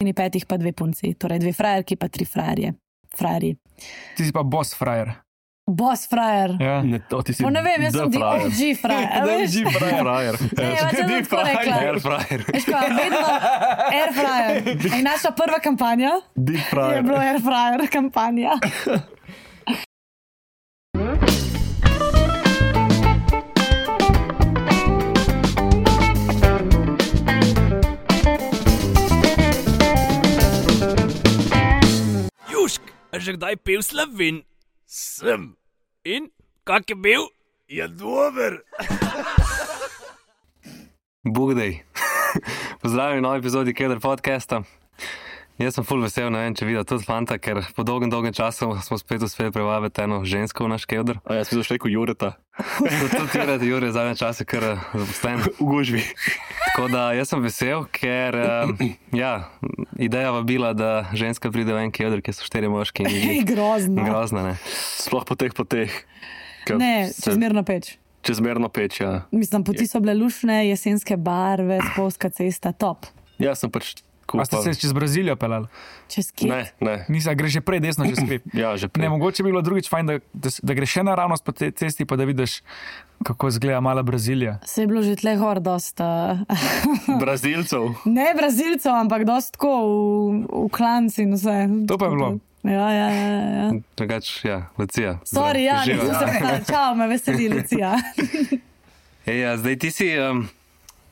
oni 5 pa 2 punci. Torej 2 frajerki pa 3 frajerji. Ti si pa boss frajer. Boss frajer. Ja. Ne, to ti si Ne vem, jaz sem OG frajer. DG frajer. Ne, pač jaz sem tako rekla. Air frajer. Veš kaj, vedno air fryer. In naša prva kampanja Deep je frajer. bilo air fryer kampanja. Južk, a že kdaj pil Slovin? Sem. In? Kak je bil? Je dober. Bugdej. Pozdravljeni v novi epizodi Keder podcasta. Jaz sem ful vesel, ne vem, če videl tudi fanta, ker po dolgem času smo spet uspeli privabiti eno žensko v naš Keder. A jaz sem zašel kot Jureta. Tudi Jure zadnje čase kar zaposlen v gužvi. Tako da jaz sem vesel, ker ideja vabila, da ženska pride v en Keder, kjer so 4 moški in Grozno. grozna, ne. Sploh po teh. Ne, čezmerno peč. Čezmerno peč, ja. Mislim, poti so bile lušne, jesenske barve, spolska cesta, top. Jaz sem pač A ste se čez Brazilijo pelali? Čez kje? Ne. Nisa, greš že prej desno, čez hrib. Ja, že Ne, prej. mogoče bi bilo drugič fajn, da greš še naravnost po tej cesti, pa da vidiš, kako izgleda mala Brazilija. Se je bilo že tle gor dosta. Brazilcev. Ne Brazilcev, ampak dosta tako v klanci in vse. To pa je bilo. Ja. Drugač, Lucija. Sorry, Živijo. nisem se povedala. Čau, me veseli, Lucija. Zdaj ti si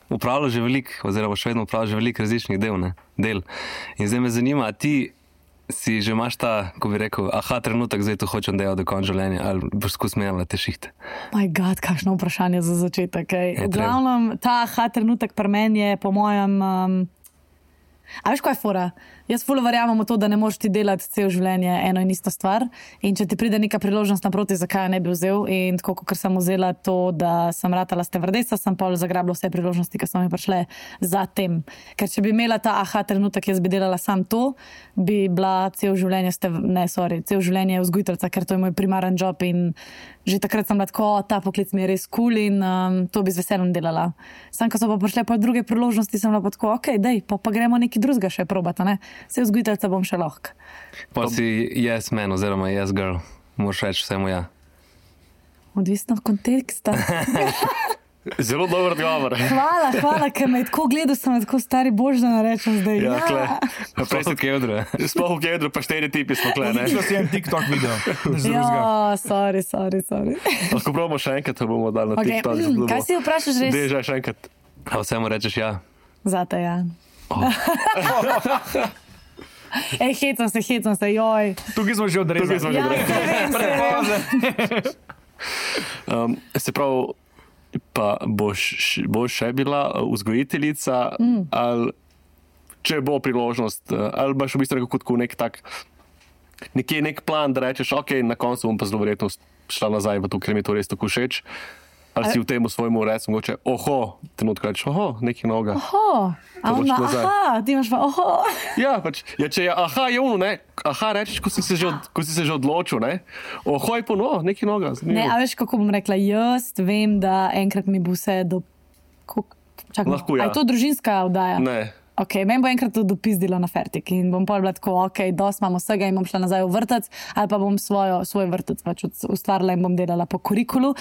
upravljal že veliko, oziroma še vedno upravljal že veliko različnih del. In zdaj me zanima, a ti si že imaš ta, ko bi rekel, trenutek, zdaj to hočem delati do konca življenja, ali boš skus menjala te šihte? My God, kakšno vprašanje za začetek. Je V glavnem, ta trenutek pri meni je po mojem... A veš, kaj je fora? Jaz ful verjamem v to, da ne moreš ti delati cel življenje eno in isto stvar. In če ti pride neka priložnost naproti, zakaj jo ne bi vzel. In tako, kot sem vzela to, da sem ratala stevardesa, sem pol zagrabila vse priložnosti, ki so mi prišle za tem. Ker če bi imela ta trenutek, jaz bi delala sam to, bi bila cel življenje vzgojiteljica, ker to je moj primaren job in že takrat sem bila tako, ta poklic mi je res cool in to bi z veseljem delala. Sam, ko so pa prišle pa druge priložnosti, sem bila pa tako, pa gremo nekaj drugega še probati, ne? Se vzgojiteljica bom še lahko. Pa si yes man oziroma yes girl, moraš reči vsemu ja. Odvisno od konteksta. Zelo dober odgovor. Hvala, ker me je tako gledal, sem tako stari bož, da narečem zdaj. Ja, kle. Prej si v Kedru. Sploh v Kedru pa 4 tipi smo kle, ne? Šlo si en TikTok video. Ja, sorry. Lahko probamo še enkrat, to bomo dali na Okay. TikTok. Kaj si vprašaš res? Dežaj še enkrat. A vsemu rečeš ja. Zate, ja. Hecam se, joj. Tukaj smo že odrezali. Ja, vem. Se pravi, pa boš še bila vzgojiteljica, ali če bo priložnost, ali boš v bistvu nekako nek tak, nekje nek plan, da rečeš, na koncu bom pa zelo verjetno šla nazaj v to, ker mi to res tako všeč. Ali si v tem svojemu recu mogoče, trenutko rečeš, nekaj novega. Ti imaš pa, Ja, pač, če je je ono, ne, rečeš, ko si se že odločil, ne, je pa nekaj novega. Ne, a veš, kako bom rekla, jaz vem, da enkrat mi bo vse Lahko, ja. A je to družinska oddaja? Ne. Meni bo enkrat to dopizdilo na fertik in bom pol bila tako, dosti imam vsega in bom šla nazaj v vrtec ali pa bom svoj vrtec pač ustvarila in bom delala po kurikulu.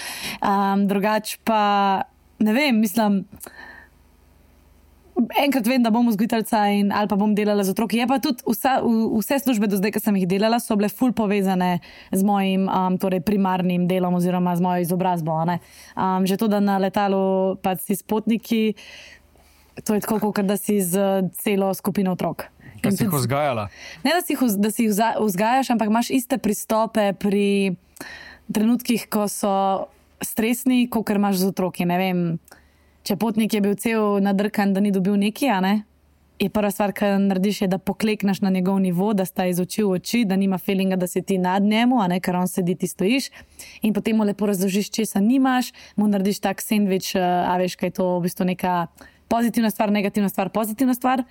Drugač pa, ne vem, mislim, enkrat vem, da bom vzgojiteljica ali pa bom delala z otroki. Je pa tudi vse službe do zdaj, ki sem jih delala, so bile ful povezane z mojim primarnim delom oziroma z mojo izobrazbo. Že to, da na letalu pa si s potniki, to je tako, kot da si z celo skupino otrok. Da si jih vzgajala? Ne, da si jih vzgajaš, ampak imaš iste pristope pri trenutkih, ko so stresni, kot imaš z otroki. Ne vem, če potnik je bil cel nadrkan, da ni dobil neki, je prva stvar, kar narediš, je, da poklekneš na njegov nivo, da sta iz oči v oči, da nima feelinga, da si ti nad njemu, ker on sedi, ti stojiš. In potem mu lepo razložiš, česa nimaš, mu narediš tak sendvič, a veš, kaj je to v bistvu neka pozitivna stvar, negativna stvar, pozitivna stvar.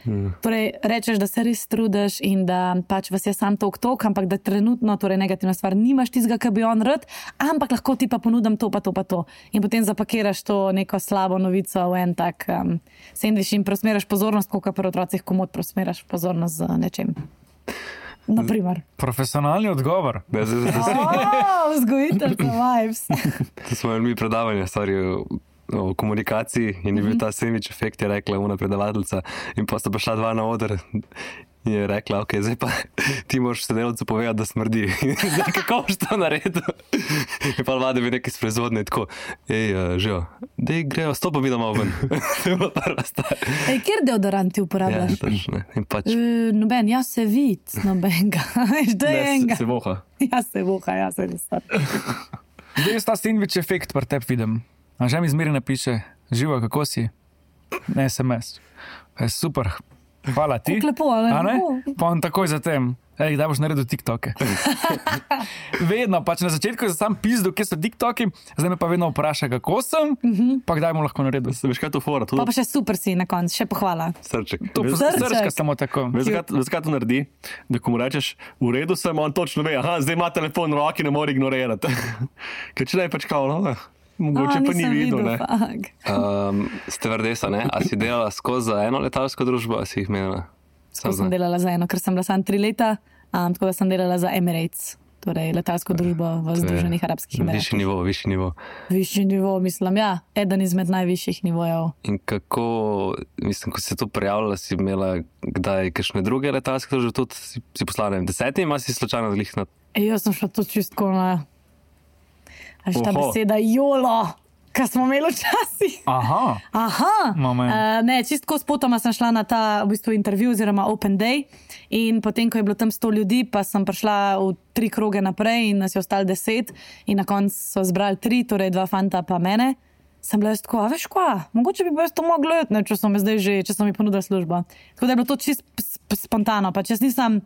Torej, rečeš, da se res trudiš in da pač vas je sam tok, ampak da trenutno, torej negativna stvar, nimaš tistega, kar bi on rad, ampak lahko ti pa ponudim to, pa to, pa to. In potem zapakiraš to neko slabo novico v en tak sendvič in preusmeraš pozornost, kot pri otrocih komod preusmeraš pozornost z nečem. Naprimer. Profesionalni odgovor. Vzgojiteljca vibes. To smo imeli mi predavanje, o komunikaciji in je bil ta sandwich efekt, je rekla ona predavateljica in pa sta prišla dva na oder in je rekla, ok, zdaj pa ti moraš sodelavcu povedati, da smrdi. Zdaj, kako boš to naredil? In pa vlade bi nekaj iz proizvodnje tako, živo, dej grejo, stopa mi domov ven. To je bila prva stvar. Kjer deodorant ti uporabljaš? Ja, točno. In pač... Noben, jaz se vid, nobenega. Že je enega. Se voha. Jaz se voha, jaz se res. Zdaj je ta sandwich efekt pri tebi vidim. A že mi zmeri napiše, živo, kako si? Ne, SMS. Super, hvala ti. Kako lepo, ali ne? Pa on takoj zatem, kdaj boš naredil TikToke? Vedno, pač na začetku je sam pizdu, kje so TikToki, zdaj me pa vedno vpraša, kako sem, pa kdaj mu lahko naredil. Veš, kaj to fora? Pa še super si na koncu, še pohvala. Srček. Srčka samo tako. Veš, kaj to naredi? Da ko mu rečeš, v redu sem, on točno ve, zdaj ima telefon v roki, ne more ignorirati. Ker če ne, pač kao, mogoče pa ni videl, ne? Stevardesa, ne? A si delala skozi za eno letalsko družbo, a si jih menila? Skozi sem delala za eno, ker sem bila sam 3 leta, tako da sem delala za Emirates, torej letalsko družbo v Združenih Arabskih Emiratih. Višji nivo. Višji nivo, mislim, ja. Eden izmed najvišjih nivojev. In kako, mislim, ko si se to prijavila, si imela kdaj kakšne druge letalske družbe, tudi si poslala, ne vem, 10, ima si slučajno zlih na... Jaz sem šla to čistko na... Až ta beseda jolo, kar smo imeli včasih. Aha. Ne, čistko s potoma sem šla na ta v bistvu intervju oziroma open day in potem, ko je bilo tam 100 ljudi, pa sem prišla v 3 kroge naprej in nas je ostalo 10 in na koncu so zbrali 3, torej 2 fanta pa mene. Sem bila jaz tako, a veš kva, mogoče bi jaz to mogla jeti, če so mi ponudili službo. Tako da je bilo to čist spontano, pa če nisem,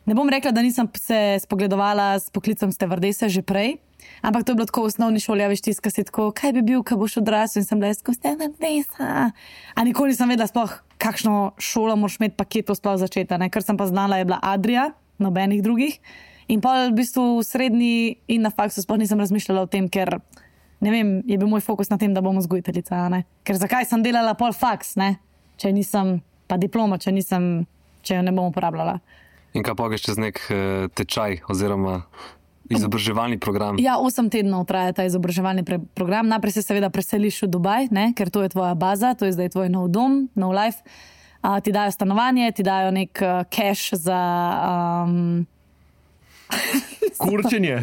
ne bom rekla, da nisem se spogledovala s poklicom stevardese že prej, ampak to je bilo tako v osnovni šoli, veš, tiska si tako, kaj bi bil, ko boš odrasel in sem bila jaz tako stevardesa. A nikoli nisem vedela sploh, kakšno šolo moraš imeti paketov sploh začeti, ne? Ker sem pa znala, je bila Adria, nobenih drugih. In pa v bistvu v srednji in na faksu sploh nisem razmišljala o tem, ker, ne vem, je bil moj fokus na tem, da bom vzgojiteljica, ne? Ker zakaj sem delala pol faks, ne? Če nisem, pa diplomo, če jo ne bom uporabljala. In kaj pogeš čez nek tečaj oziroma izobraževalni program? Ja, 8 tednov traja ta izobraževalni program. Najprej se seveda preseliš v Dubaj, ne? Ker to je tvoja baza, to je zdaj tvoj nov dom, nov life. Ti dajo stanovanje, ti dajo nek cash za... Kurčenje.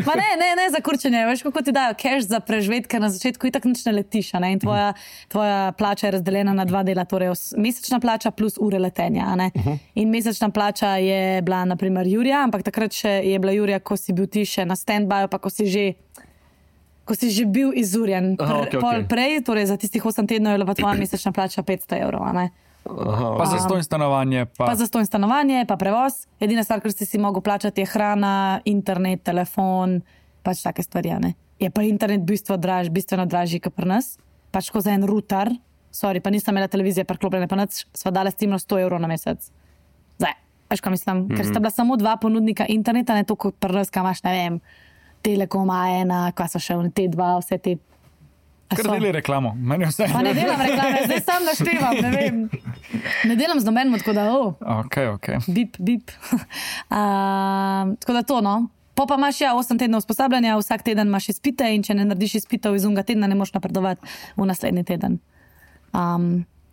Pa ne za kurčenje. Veš, kako ti dajo cash za preživeti, ker na začetku itak nič ne letiš, ne? In tvoja plača je razdeljena na 2 dela, torej mesečna plača plus ure letenja, ne? In mesečna plača je bila naprimer Jurija, ampak takrat še je bila Jurija, ko si bil ti še na stand-by, pa ko si že bil izurjen. Prej, torej za tistih 8 tednov je bila pa tvoja mesečna plača 500 evrov, ne? Pa zastonj stanovanje. Pa zastonj stanovanje, pa prevoz. Edina stvar, kar si mogel plačati, je hrana, internet, telefon, pač take stvari, ne. Je pa internet bistveno dražji, kot pri nas. Pač ko za en router, pa nisem imela televizije preklopljene, pa nič, sva dala stimno 100 evrov na mesec. Zdaj, veš, kaj mislim, ker sta bila samo 2 ponudnika interneta, ne to, kot pri nas, kaj imaš, ne vem, Telekom, A1, kaj so še T2, vse te. Kar deli reklamo, meni vse. Pa ne delam reklame, zdaj sam naštevam, ne vem. Ne delam z nobenim, tako da, Ok. Bip. Tako da to, no. Pa imaš 8 tednov usposabljanja, vsak teden imaš izpite in če ne narediš izpitev iz unga tedna, ne moš napredovati v naslednji teden.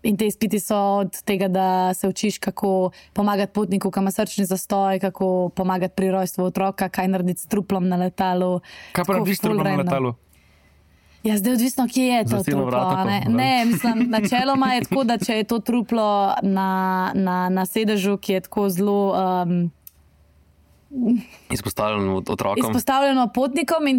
In te izpiti so od tega, da se učiš, kako pomagati potniku, ko ima srčni zastoj, kako pomagati pri rojstvu otroka, kaj narediti s truplom na letalu. Kaj pa narediš s truplom na letalu? Ja, zdaj odvisno, kje je to truplo. Ne, mislim, načeloma je tako, da če je to truplo na sedežu, ki je tako zelo... Izpostavljeno otrokom. Izpostavljeno potnikom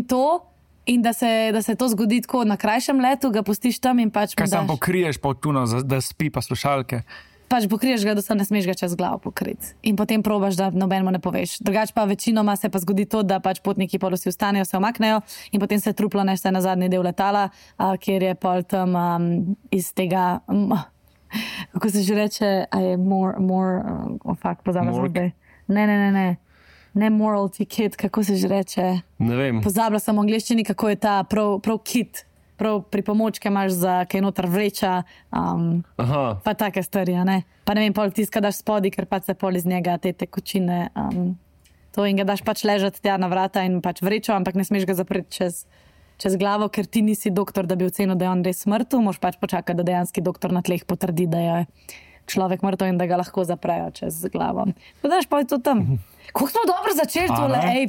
in da se to zgodi tako na krajšem letu, ga pustiš tam in pač kaj sam pokriješ pa tuno, da spi pa slušalke? pač pokriješ ga, da se ne smeš ga čez glavo pokriti. In potem probaš, da nobenemu ne poveš. Drugač pa večinoma se pa zgodi to, da pač potniki pol vsi vstanejo, se omaknejo in potem se truplo nese na zadnji del letala, kjer je pol tam iz tega, kako se že reče, a je pozabila sem zdaj. Ne morality kit, kako se že reče. Ne vem. Pozabila sem v angleščini, kako je ta prav kit. Prav pripomočke imaš za kaj noter vreča, pa take stvari, ne? Pa ne vem, pol tiska daš spodi, ker pač se pol iz njega te tekočine, to in ga daš pač ležati tja na vrata in pač vrečo, ampak ne smeš ga zapreti čez glavo, ker ti nisi doktor, da bi ocenil, da je on res mrtev, moraš pač počakati, da dejanski doktor na tleh potrdi, da je človek mrtev in da ga lahko zaprejo čez glavo. Pa daš pa je to tam. Kako smo dobro začeli tole,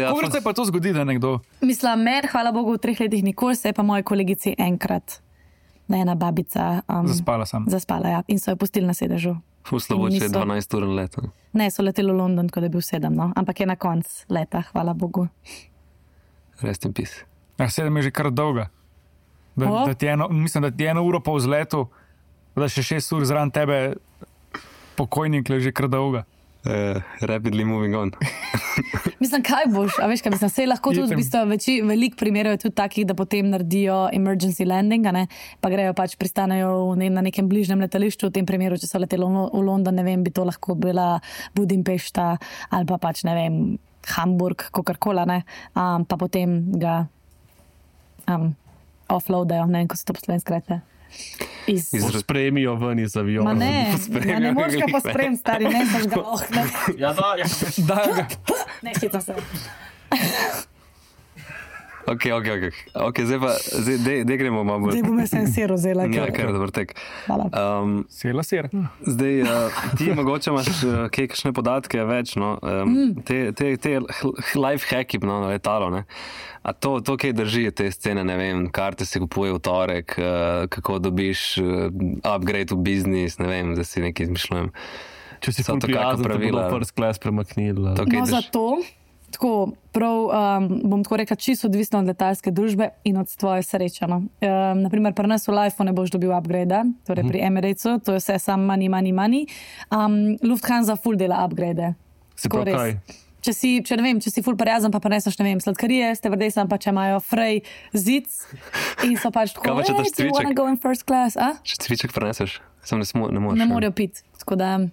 Kako se pa to zgodi, da nekdo? Mislim, meni, hvala Bogu, v 3 letih nikoli, se je pa moji kolegici enkrat, da je ena babica zaspala, ja, in so jo pustili na sedežu. Slabo, če je 12 ur let. Ne, so leteli v London, ko je bil 7, no, ampak je na konc leta, hvala Bogu. Rest in peace. 7 je že kar dolga. Mislim, da ti 1 uro po vzletu, da še 6 ur zraven tebe pokojnik leži kar dolga. Rapidly moving on. Mislim, kaj boš, a veš, kaj mislim, sej lahko tudi v bistvu veliko primerov je tudi takih, da potem naredijo emergency landing, ne, pa grejo pač pristanejo na nekem bližnjem letališču, v tem primeru, če so leteli v London, ne vem, bi to lahko bila Budimpešta ali pa pač, ne vem, Hamburg, kakorkola, ne, pa potem ga offloadajo, ne vem, ko se to po slovensko reče. Spremijo ven iz aviona. Ne moreš ga pospremiti, stari, ne saš ga ne. Ja, Da ga. Ne, hitro se. Ok, zdaj pa, zdaj gremo malo bolj. Zdaj bom jaz en sir vzela. Ja, kar dober tek. Hvala. Sela sir. Zdaj, ti mogoče imaš kakšne podatke več, no, te life hacki, no, na letalo, ne. A to kaj drži, te scene, ne vem, karte se kupuje v torek, kako dobiš upgrade v biznis, ne vem, da si nekaj izmišljujem. Če si ful prijazen, da bi first class premaknil. No, zato, tako, prav, bom tako rekla, čisto odvisno od letalske družbe in od tvoje sreče, no. Naprimer, pri nas v Lifeu ne boš dobil upgrade, torej pri Emiratesu, to je vse sam money. Lufthansa ful dela upgrade. Se prav kaj? Če ne vem, če si ful prijazen, pa preneseš, ne vem, sladkarije, stevardesam pa če imajo frej zic in so pač tako, Kaj pa če daš do you wanna cviček? go in first class, a? Če cviček preneseš, sam ne moreš. Ne morejo piti, tako da...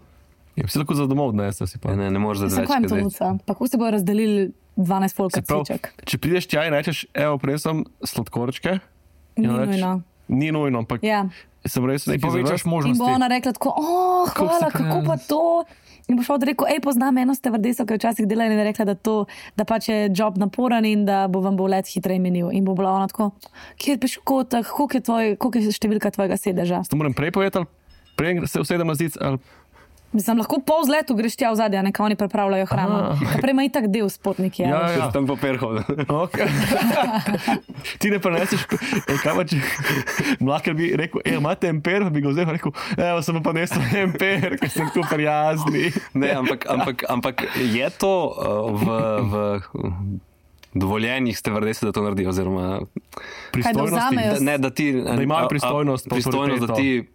Ja, si lahko za domov odnesel si pa. Ne moreš za Sem kaj jim to nuca, pa kako se bojo razdelili 12 folka cviček? Če prideš tja in rečeš, evo, prinesem sladkorčke. Ni nujno. Ni nujno, ampak Ja. sem res nekaj Povečaš In bo možnosti. ona rekla tako, hvala, kako pa to? In boš od rekel, poznam eno stevardeso, ki je včasih delala in je rekla, da pač je job naporen in da vam bo let hitreje minil. In bo bila ona tako, kjer peš v kotah, koliko je številka tvojega sedeža? To moram prej povedati, ali prej se usedem na zic, ali... Mislim, lahko pol vzletu greš tja v zadje, neka oni pripravljajo hrano. Prej ima itak del s potniki. Ja. Tam papir hodil. Okay. Ti ne preneseš, kaj pa če mlaker bi rekel, imate emper, pa bi ga vzel, rekel, evo, sem pa nesel emper, ker sem tu prijazni. Ne, ampak je to v dovoljenih stevardese, da to naredi, oziroma Pristojnosti. da imajo pristojnost, da ti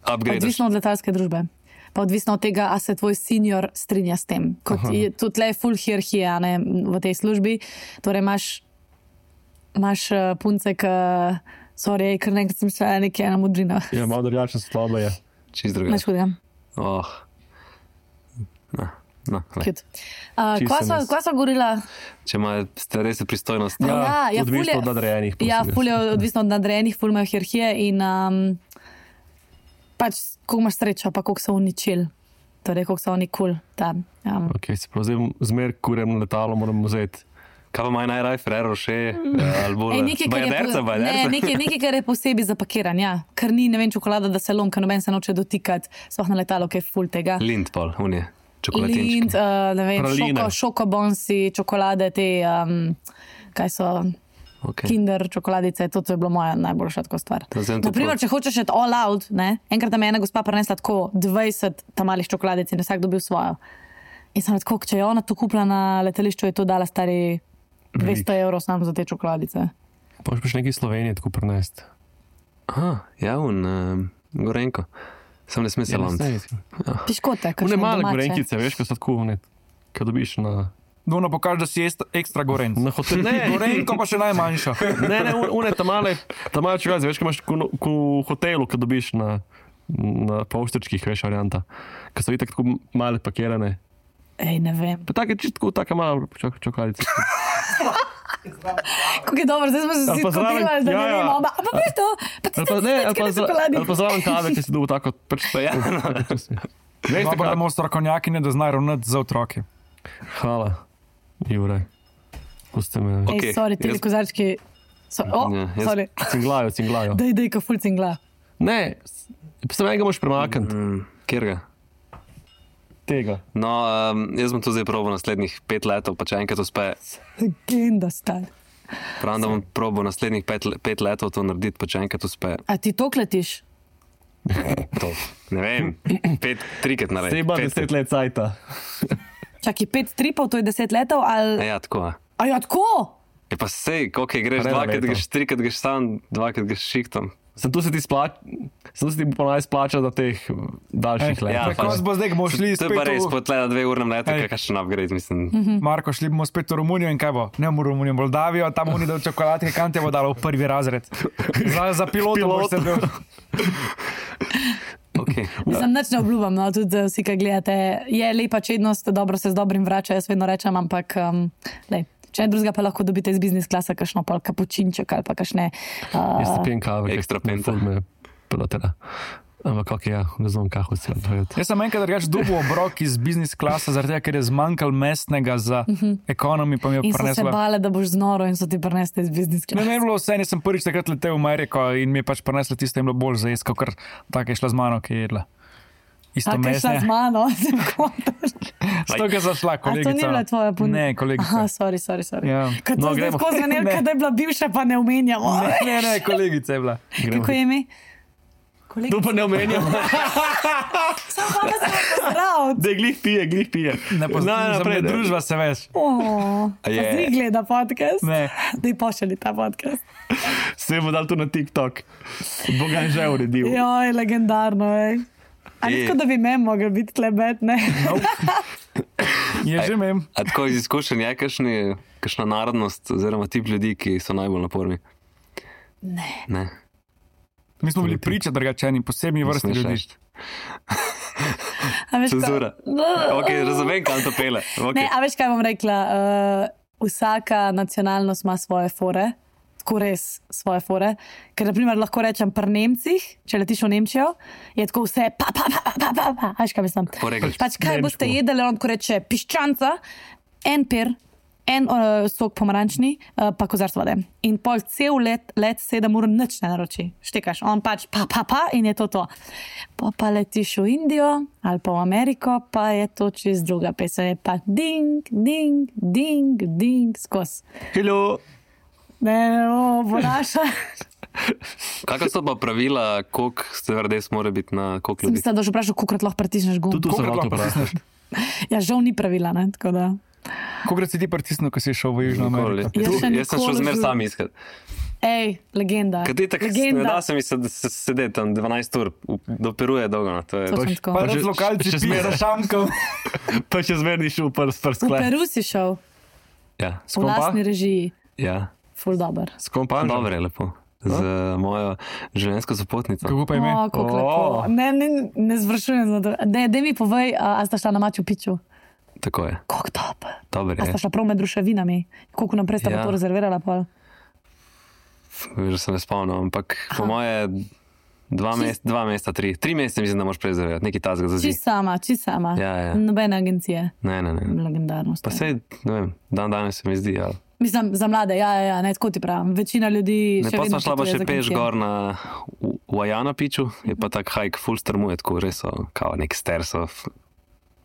upgradeš. Odvisno od letalske družbe. Pa odvisno od tega, a se tvoj senior strinja s tem. Tudi tle je full hierarhija, ne, v tej službi. Torej imaš punce, kar nekaj sem šla nekaj ena modrina. Ja, malo drugačna slaba je. Čist drugače. Nič hudega. Kva sva govorila? Če ima stevardese pristojnost. Odvisno od nadrejenih. Ful je odvisno od nadrejenih, ful imajo hierarhije in pač, koliko imaš srečo, pa koliko so uničili. Torej, koliko so oni cool tam. Ok, se prav zdaj zmer kurem letalo moram vzeti. Kaj pa imajo najraj, Ferrero Rocher, ali nekaj, kar je posebej zapakiran, ja. Ker ni, ne vem, čokolada, da se lom, ker noben se noče dotikati, sploh na letalo, ki je ful tega. Lind pol, unije, čokolatinčki. Lind, ne vem, šokobonsi, čokolade, te, kaj so... Okay. Kinder čokoladice, to je bilo moja najboljša tako stvar. Naprimer, če hočeš eti all out, ne, enkrat tam je ena gospa prenesla tako 20 tam malih čokoladic in vsak dobil svojo. In sem tako, če je ona to kupila na letališču, je to dala stari 200 evrov samo za te čokoladice. Pa še nekaj Slovenije tako prenesti. Ja, Gorenko. Sem ne smem se lomiti. Piškote, One kakšne male domače. gorenkice, veš, ko so tako, ko dobiš na Dvono pokaže, da si ekstra gorenc. hotel. Ne, Gorenko pa še najmanjša. ne, one ta male čuvaze, veš, ko imaš ko v hotelu, ko dobiš na polštrčkih, veš, varianta. Ko so itak tako male pakirane. Ej, ne vem. Pa tako je čisto taka mala čokoladica. Kako je dobro, zdaj smo se Ali vsi pa zraven- skodelali, da ja, ne ja. vemo. Pa veš to, pa ti Ali pa zraven kave, ki si dobil tako, pač to je. Veš, Dobro, da tako. imamo strokovnjakinje, da znajo ravnati za otroke. Hvala, Jure. Pusti me. Ej, Okej, sorry, ti jaz- kozarčki. Ja, jaz- Sorry. Cinglajo. Dej, ko ful cingla. Ne, samo enega moraš premakniti. Kjer ga? Tega. No, jaz bom to zdaj probil naslednjih 5 let, pa če enkrat uspe, Legenda, star. pravim, da bom probil naslednjih 5 let to narediti, pa če enkrat uspe. A ti to kletiš? To, ne vem, 3-krat narediti. Zdaj ima 10 let cajta. Čakaj, 5 tripov, to je 10 letov, ali... Ja, tako. A ja, tako? Je pa sej, koliko greš, Pa ne na 2-krat leto. greš, 3-krat greš sam, 2-krat greš šiktom. Sem tu se ti ponaj splača za teh daljših let. ja, Tako pač. bo zdaj, bomo šli To je pa spet res, v... po tle na 2 urnem letu, Ej. kakšen upgrade, mislim. Marko, šli bomo spet v Romunijo in kaj bo? Ne v Romunijo, Moldavijo, tam oni dajo čokoladke, kam te bo dalo v prvi razred. Za pilota boš sedel. Okay. Mislim, nič ne obljubam, no, tudi vsi, ki gledate. Je lepa čednost, dobro se z dobrim vrača, jaz vedno rečem, ampak lej, če ne drugega, pa lahko dobite iz biznis klasa kakšno pol kapučinček ali pa kakšne... Jaz pijem kave. Ekstra penta. Me pelotera. Ampak kako je, ne znam, kako se je. Jaz sem enkrat drugač dobil obrok iz biznis klasa, zaradi tega, ker je zmanjkal mestnega za ekonomi, pa mi je In so se prinesla. bale, da boš znoro in so ti prinesli iz biznis Ne, klasa. ne, bilo vse, nisem prvič takrat letel v Ameriko in mi je pač prinesla tisto, in bilo bolj za jaz, kot tako je šla z mano, ki je jedla. Isto A, kaj šla z mesne. mano? Sem kontaš. Sto, ki je zašla, A kolegica. to ni bila tvoja punca? Ne, kolegica. Aha, sorry. Ja. Kad No, to zdaj gremo. skozi zanelka, da je bila bivša, pa ne omenjamo. Ne, kolegica je bila. Kako je ime? To pa ne omenjam. Sam pa me sem pozdrav. Da glih pije. Ne poznam, naprej, za družba se veš. Pa Je. si gleda podcast? Ne. Da ji pošali ta podcast. Se bo dal tu na TikTok. Boga je že uredil. Joj, legendarno, ej. A ni tako, da bi mem mogel biti klebet, ne? Je že mem. A tako iz izkušenj je kakšna narodnost oziroma tip ljudi, ki so najbolj naporni? Ne. Mi smo bili priča drugačeni, posebni vrsti Smeš ljudi. reči. A veš, Cenzura. Ok, razumem, kam to pele. Okay. Ne, a veš, kaj bom rekla? Vsaka nacionalnost ima svoje fore, tako res svoje fore. Ker, na primer, lahko rečem pri Nemcih, če letiš v Nemčijo, je tako vse pa. A veš, kaj mislim? Poregliš. Pač kaj Nemško. boste jedli, on ko reče piščanca, en pir, en sok pomarančni, pa kozarc vode. In pol cel let 7 ur nič ne naroči. Štekaš, on pač pa in je to. Pa letiš v Indijo ali pa v Ameriko, pa je to čist druga pesem. Je pa ding, ding, ding, ding, skos. Hello. Ne, bo naša. Kakšna so pa pravila, koliko stevardes mora biti na koliko ljudi? Mislim, da že vprašal, koliko lahko pritisneš gum. Tu sem Kolikrat lahko lahko pritisneš. Ja, žal ni pravila, ne, tako da. Kolikrat si ti pritisnil, ko si šel v Južno Nikoli. Ameriko? Jaz še Jaz sem šel nikoli zmer v- sam iskat. Ej, legenda. Kaj ti tako ne Legenda. da se mi sedeti tam 12 ur, doperuje dolgo. No. To je, Točno tako. Pa Pa res že- lokalci še pijejo zmeraj. šankov. Pa še zmerni šel prst V sklep. Peru si šel, ja, v lastni režiji. ja. Ful dober. S kom pa? Dobro je lepo. Z mojo življenjsko sopotnico. Kako pa ime? O, kako O. lepo. Ne zvršujem za to. Dej mi povej, a sta šla na Machu Picchu? Tako je. Kako dober. Dober A je. sta šla prav med ruševinami? Koliko naprej sta pa Ja. to rezervirala pol? Že sem ne spomnil, ampak po moje 2 meseca, 3 mesece mislim, da moraš prezervirati. Nekaj tazga za Čist zid. sama. Ja, ja. Nobene agencije. Ne. Legendarno. Pa sej, ne vem, dan danes se mi zdi, ali. Mislim, za mlade, ja, ne, tako ti pravim. Večina ljudi Ne, še pa vedno smo šla pa potuje še z peš agencije. gor v Ajana piču, je pa tak hike full strmuje, tako res so, kao nek stairs of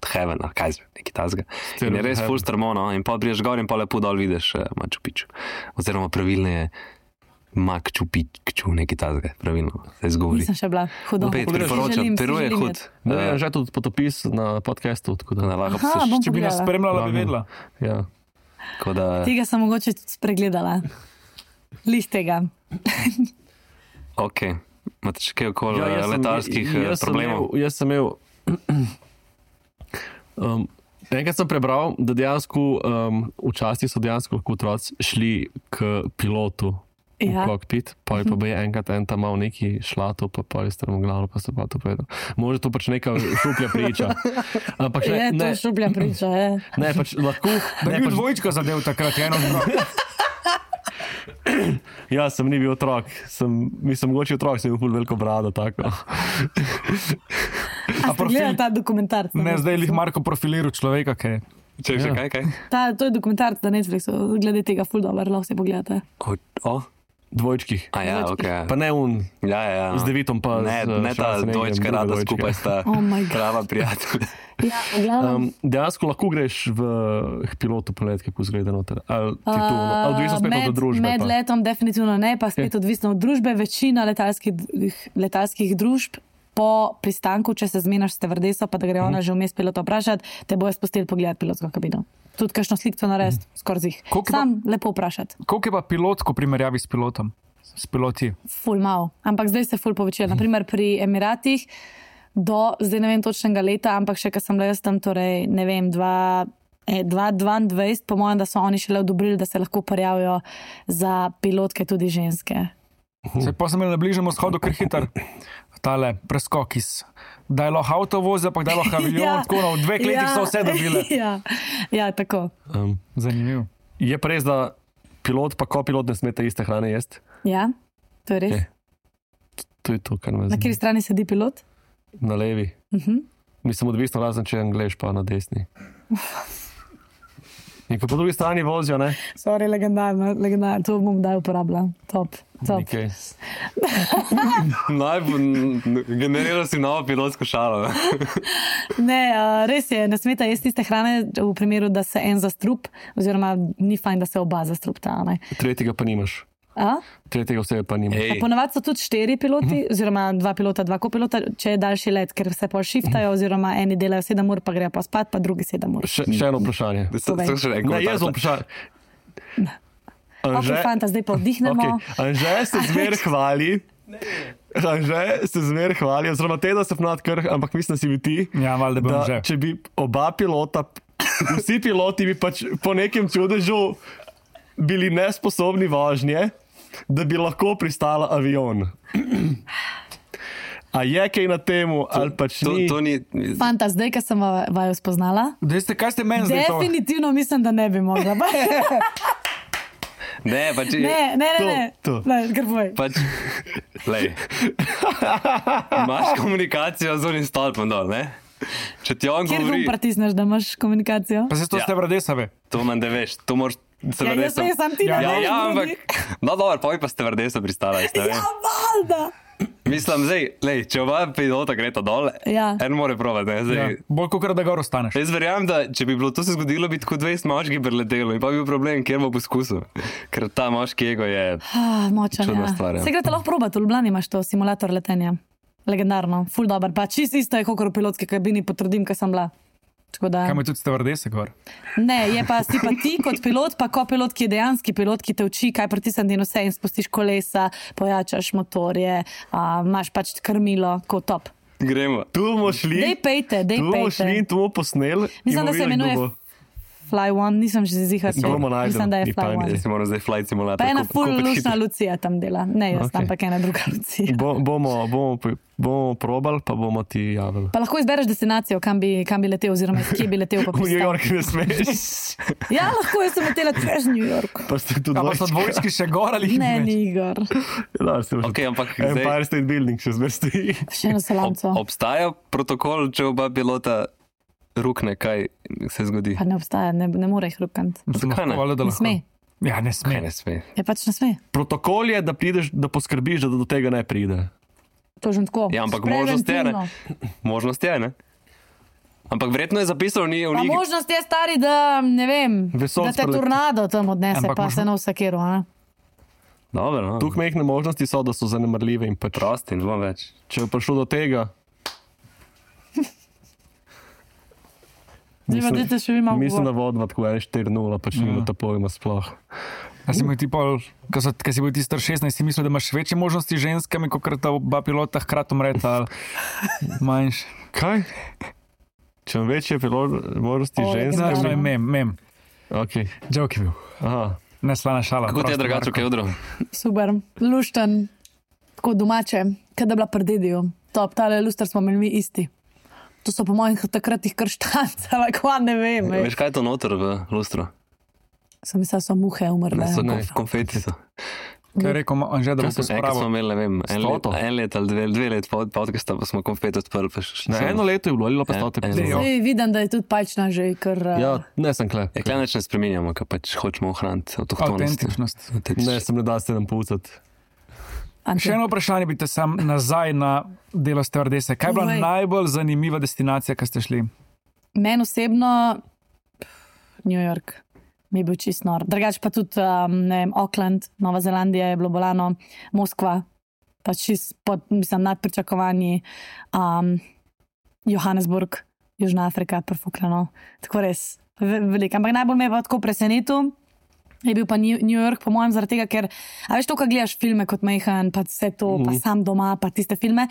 heaven, ali kaj zve, neki tazga. In je res of full strmo, no, in pa priješ gor in pa lepo dol vidiš Machu Picchu. Oziroma pravilno je Machu Picchu, neki tazga, pravilno se izgovori. Nisem še bila hudo. Opet Si priporočam, želim, si Peru je želim hud. iti. No, je že tudi potopis na podcastu, tako da. Da lahko Aha, se bom Če bi nas pogledala. spremljala, bi Lahko. vedela. Ja. tako da, Tega sem mogoče tudi spregledala. Lih tega. ok. Imate še kaj okoli letalskih problemov? Jaz sem imel enkrat sem prebral, da dejansko včasih so dejansko lahko otroci šli k pilotu v kokpit, pa je enkrat tam mal neki šlato, pa je strmoglavno, pa se pa to povedal. Može to pač neka šuplja priča. Ampak še, to šuplja priča, je. Ne, pač lahko... Da ni dvojčka zadev takrat, eno drugo. Ja, sem ni bil otrok. Mislim, mogoče otrok, sem imel ful veliko brado, tako. A ste gledali ta dokumentarc? Ne, zdaj jih Marko profiliral človeka, kaj je. Če kaj? To je dokumentarc na Netflixu, glede tega ful dober, lahko si pogledate. Dvojčkih. Ja, okay. Pa ne Ja. Z devitom pa ne ta dvojčka rada skupaj sta prava prijatelja. Ja, dejansko lahko greš v pilotu polet, kako zgleda noter. Ali odvisno spet od družbe? Med letom definitivno ne, pa spet odvisno od družbe. Večina letalskih družb po pristanku, če se zmenaš s stevardeso, pa da gre ona že vmes pilota vprašati, te bojo spustili pogledati pilotsko kabino. Tudi kakšno slikco narediti, skoraj zih. Sam lepo vprašati. Koliko je pa pilot, ko primerjavi s pilotom? S piloti? Ful malo. Ampak zdaj se ful povečuje. Naprimer pri Emiratih zdaj ne vem točnega leta, ampak še kad sem bila jaz tam, torej ne vem, 2022, po mojem, da so oni šele odobrili, da se lahko prijavijo za pilotke tudi ženske. Se pa sem imel na Bližnjem vzhodu kar hiter tale preskok iz da je lahko avto vozi, pa da je lahko avion, tako v 2 letih so vse dobile. Ja, tako. Zanimivo. Je pa res, da pilot pa kopilot ne smete iste hrane jesti? Ja, to je res. To je to, kar me zanima. Na kateri strani sedi pilot? Na levi. Mislim, odvisno razen, če je Anglež pa na desni. In ko po drugi strani vozijo, ne? Sorry, legendarno, to bom daj uporabljal. Top. Okay. Generiral si novo pilotsko šalo. Ne, res je, ne smeta jesti tiste hrane v primeru, da se en zastrup, oziroma ni fajn, da se oba zastrupta. Tretjega pa nimaš. Tretjega vsega pa nimaš. Ponavadi so tudi 4 piloti, oziroma 2 pilota, 2 kopilota, če je daljši let, ker se pa shiftajo, oziroma eni delajo 7 ur, pa grejo pa spat, pa drugi 7 ur. Še eno vprašanje. Ne, jaz bom vprašanje. Ok, fanta, zdaj pa vdihnemo. Anže se zmer hvali, oziroma teda se vnad krh, ampak mislim, da si bi ti, da če bi oba pilota, vsi piloti bi pač po nekem čudežu bili nesposobni vožnje, da bi lahko pristala avion. A je kaj na temu, ali pač ni? Fanta, zdaj, ko sem vaju spoznala, kaj ste meni zdaj to? Definitivno mislim, da ne bi mogla. Ne, pač... Ne, kar povej. Pač, lej, imaš komunikacijo z unim stolpom dol, ne? Če ti on Kjer govori... Kjer pritisneš, da imaš komunikacijo? Pa se to stevardesave. To manj da veš, to moraš... Jaz sem ti na veš, ampak... No, dobro, pa bi pa stevardesa pristala. Ja, valda! Mislim, zdaj, če oba pilota greta dol, en more probati, ne, zdaj. Bolj kakor da gor ostaneš. Jaz verjamem, da če bi bilo to se zgodilo, bi tako 20 moških preletelo in pa bi bil problem, kjer bo poskusil. Ker ta moški ego je čudna stvar. Se grete lahko probati, v Ljubljani imaš to, simulator letenja. Legendarno, ful dober, pa čisto isto je kakor v pilotski kabini, potrdim, kaj sem bila. Kam je tudi stevardese gor? Ne, je pa si pa ti kot pilot, pa kopilot, ki je dejanski pilot, ki te uči, kaj pritisniti in vse in spustiš kolesa, pojačaš motorje, imaš pač krmilo, kot top. Gremo. Tu bomo šli. Dej pejte. Tu bomo šli in tu bomo posneli. Mislim, da se imenuje Fly One, nisem že zihar. Mislim, da je Fly One. Jaz si moram zdaj flight simulator. Pa ena full lušna Lucija tam dela. Ne, jaz ampak ena druga Lucija. Bomo probali, pa bomo ti javili. Pa lahko izbereš destinacijo, kam bi letel, oziroma kje bi letel pa pristal. V New York ne smeš. Ja, lahko, jaz sem letela čez New York. Pa ste tudi pa so dvojčki še gor ali ne, ni gor. Ampak Empire State Building še zmer stoji. Še eno salamco. Obstaja protokol, če oba pilota rukne, kaj se zgodi? Pa ne obstaja, ne more jih rukant. Zakaj ne? Ne sme. Ja, ne sme. Je pač ne sme. Protokol je, da prideš, da poskrbiš, da do tega ne pride. To že tako. Ja, ampak možnost je, ne? Možnost je, ne? Ampak verjetno je zapisal v pa možnost je, stari, da, ne vem, da te tornado tam odnese, pa se na vsakeru, ne? Dobro, no. Tukaj mehne možnosti so, da so zanemarljive in pač prosti in dva več. Če je prišlo do tega, mislim, da vodva tako 4-0, pač nima ta pojma sploh. A si bil ti pol, ko si bil ti star 16, si mislil, da imaš večje možnosti z ženskami, kot ta oba pilota hkrati umreta, ali manjš? Kaj? Če imam večje možnosti žensk? Znaš, to je mem. Ok. Joke je bil. Aha. Ne slana šala. Kako ti je drugače, kaj odro? Super, lušten, tako domače, kaj da bila pri dediju. Top, tale luster smo imeli mi isti. To so po mojih takrat jih kar štancala, kva ne vem. Veš, kaj je to noter v lustru? Sem mislila, so muhe umrle. Konfeti so. Kaj je rekel, Anže, da bo se Enkrat smo spravil? imeli, ne vem, Stoto? en let ali dve let podcasta, pa smo konfeti odprli. Pa šli Na smo. eno leto je bilo, ali pa Ja, stote. eno. Jo. Zdaj vidim, da je tudi palčna že kar... Ja, ne sem kle. Ja, klej neč ne spreminjamo, ker pač hočemo ohraniti avtohtonost. Autentičnost. Ne, sem ne da se nam poucati. Še eno vprašanje bi te sam nazaj na delo stevardese. Kaj je bila Povej. najbolj zanimiva destinacija, ki ste šli? Meni osebno New York mi je bil čist nor. Drugač pa tudi, ne vem, Auckland, Nova Zelandija je bilo bolano, Moskva, pa čist mislim, nad pričakovanji, Johannesburg, Južna Afrika, perfukljeno. Tako res, veliko. Ampak najbolj me je pa tako presenetil, je bil pa New York, po mojem, zaradi tega, ker, a veš to, ko gledaš filme kot Mehan, pa vse to, pa sam doma, pa tiste filme.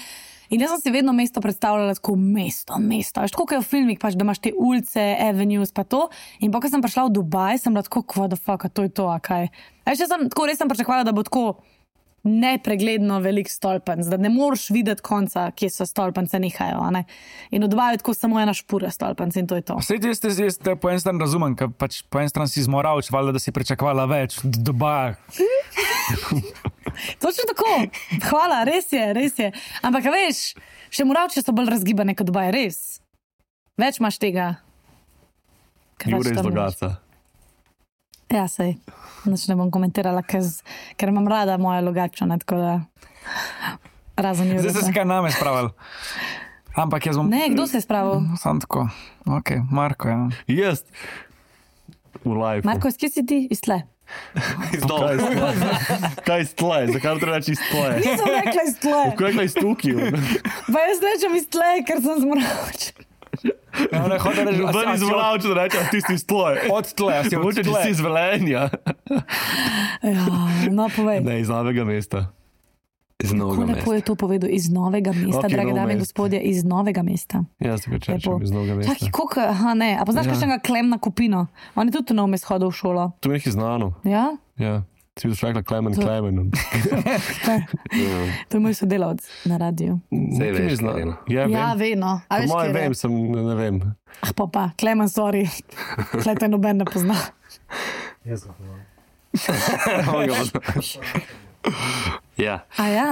In jaz sem si vedno mesto predstavljala tako mesto. Veš, tako kot je v filmih, pač, da imaš te ulice, avenues, pa to. In pa, ko sem prišla v Dubaj, sem bila tako, what the fuck, a to je to, a kaj. A veš, jaz sem tako res sem pričakovala, da bo tako nepregledno velik stolpenc, da ne moreš videti konca, kje so stolpence nehajo. A ne? In v Dubaju je tako samo ena špura stolpenc in to je to. Vse jaz te po en stran razumem, ker pač po en stran si zmoravč, valjda, da si pričakovala več od Dubaja. Točno tako. Hvala, res je. Ampak, a veš, še moravče so bolj razgibane kot Dubaj, res. Več imaš tega. Ker Jure več iz tam Logatca. Ja, sej. Nič ne bom komentirala, ker imam rada moje Logatčane, tako da razen Jure. Zdaj ste se kaj name spravili. Ampak jaz bom... Ne, kdo se je spravil? Sam tako. Ok, Marko, ja. Jaz. V live. Marko, iz kje si ti? Iz tle. Kaj iz tle? Zakaj treba reči iz tle? Nisem rekla iz tle. Kaj je rekla iz tukaj? Pa jaz rečem iz tle, ker sem zmoravč. Ja, ne, hotel reči, Zdaj iz Vlavča, da rečem, ti si iz tle. od tle, a si od Mogoče, če tle. si iz Velenja. Ja, no, povej. Ne, iz novega mesta. Iz novega Kako lepo mesta. je to povedal, iz novega mesta, Ok, drage Novo dame in mesto. gospodje, iz novega mesta. Jaz se ga Lepo. češem iz novega mesta. Čakaj, koliko, aha, ne, a poznaš kakšnega Klemna Kupino? On je tudi v Novem mestu hodil v šolo. To je nekaj znano. Ja? Ja. Si bi rekla Klemen. To je moj sodelavec na radiju. Saj veš, Karina. Ja, Ja, vem. vedno. A Po veš, mojem kjer je? vem, sem, ne vem. Ah, pa, Klemen, sorry. Tle te noben ne pozna. Ja, A ja,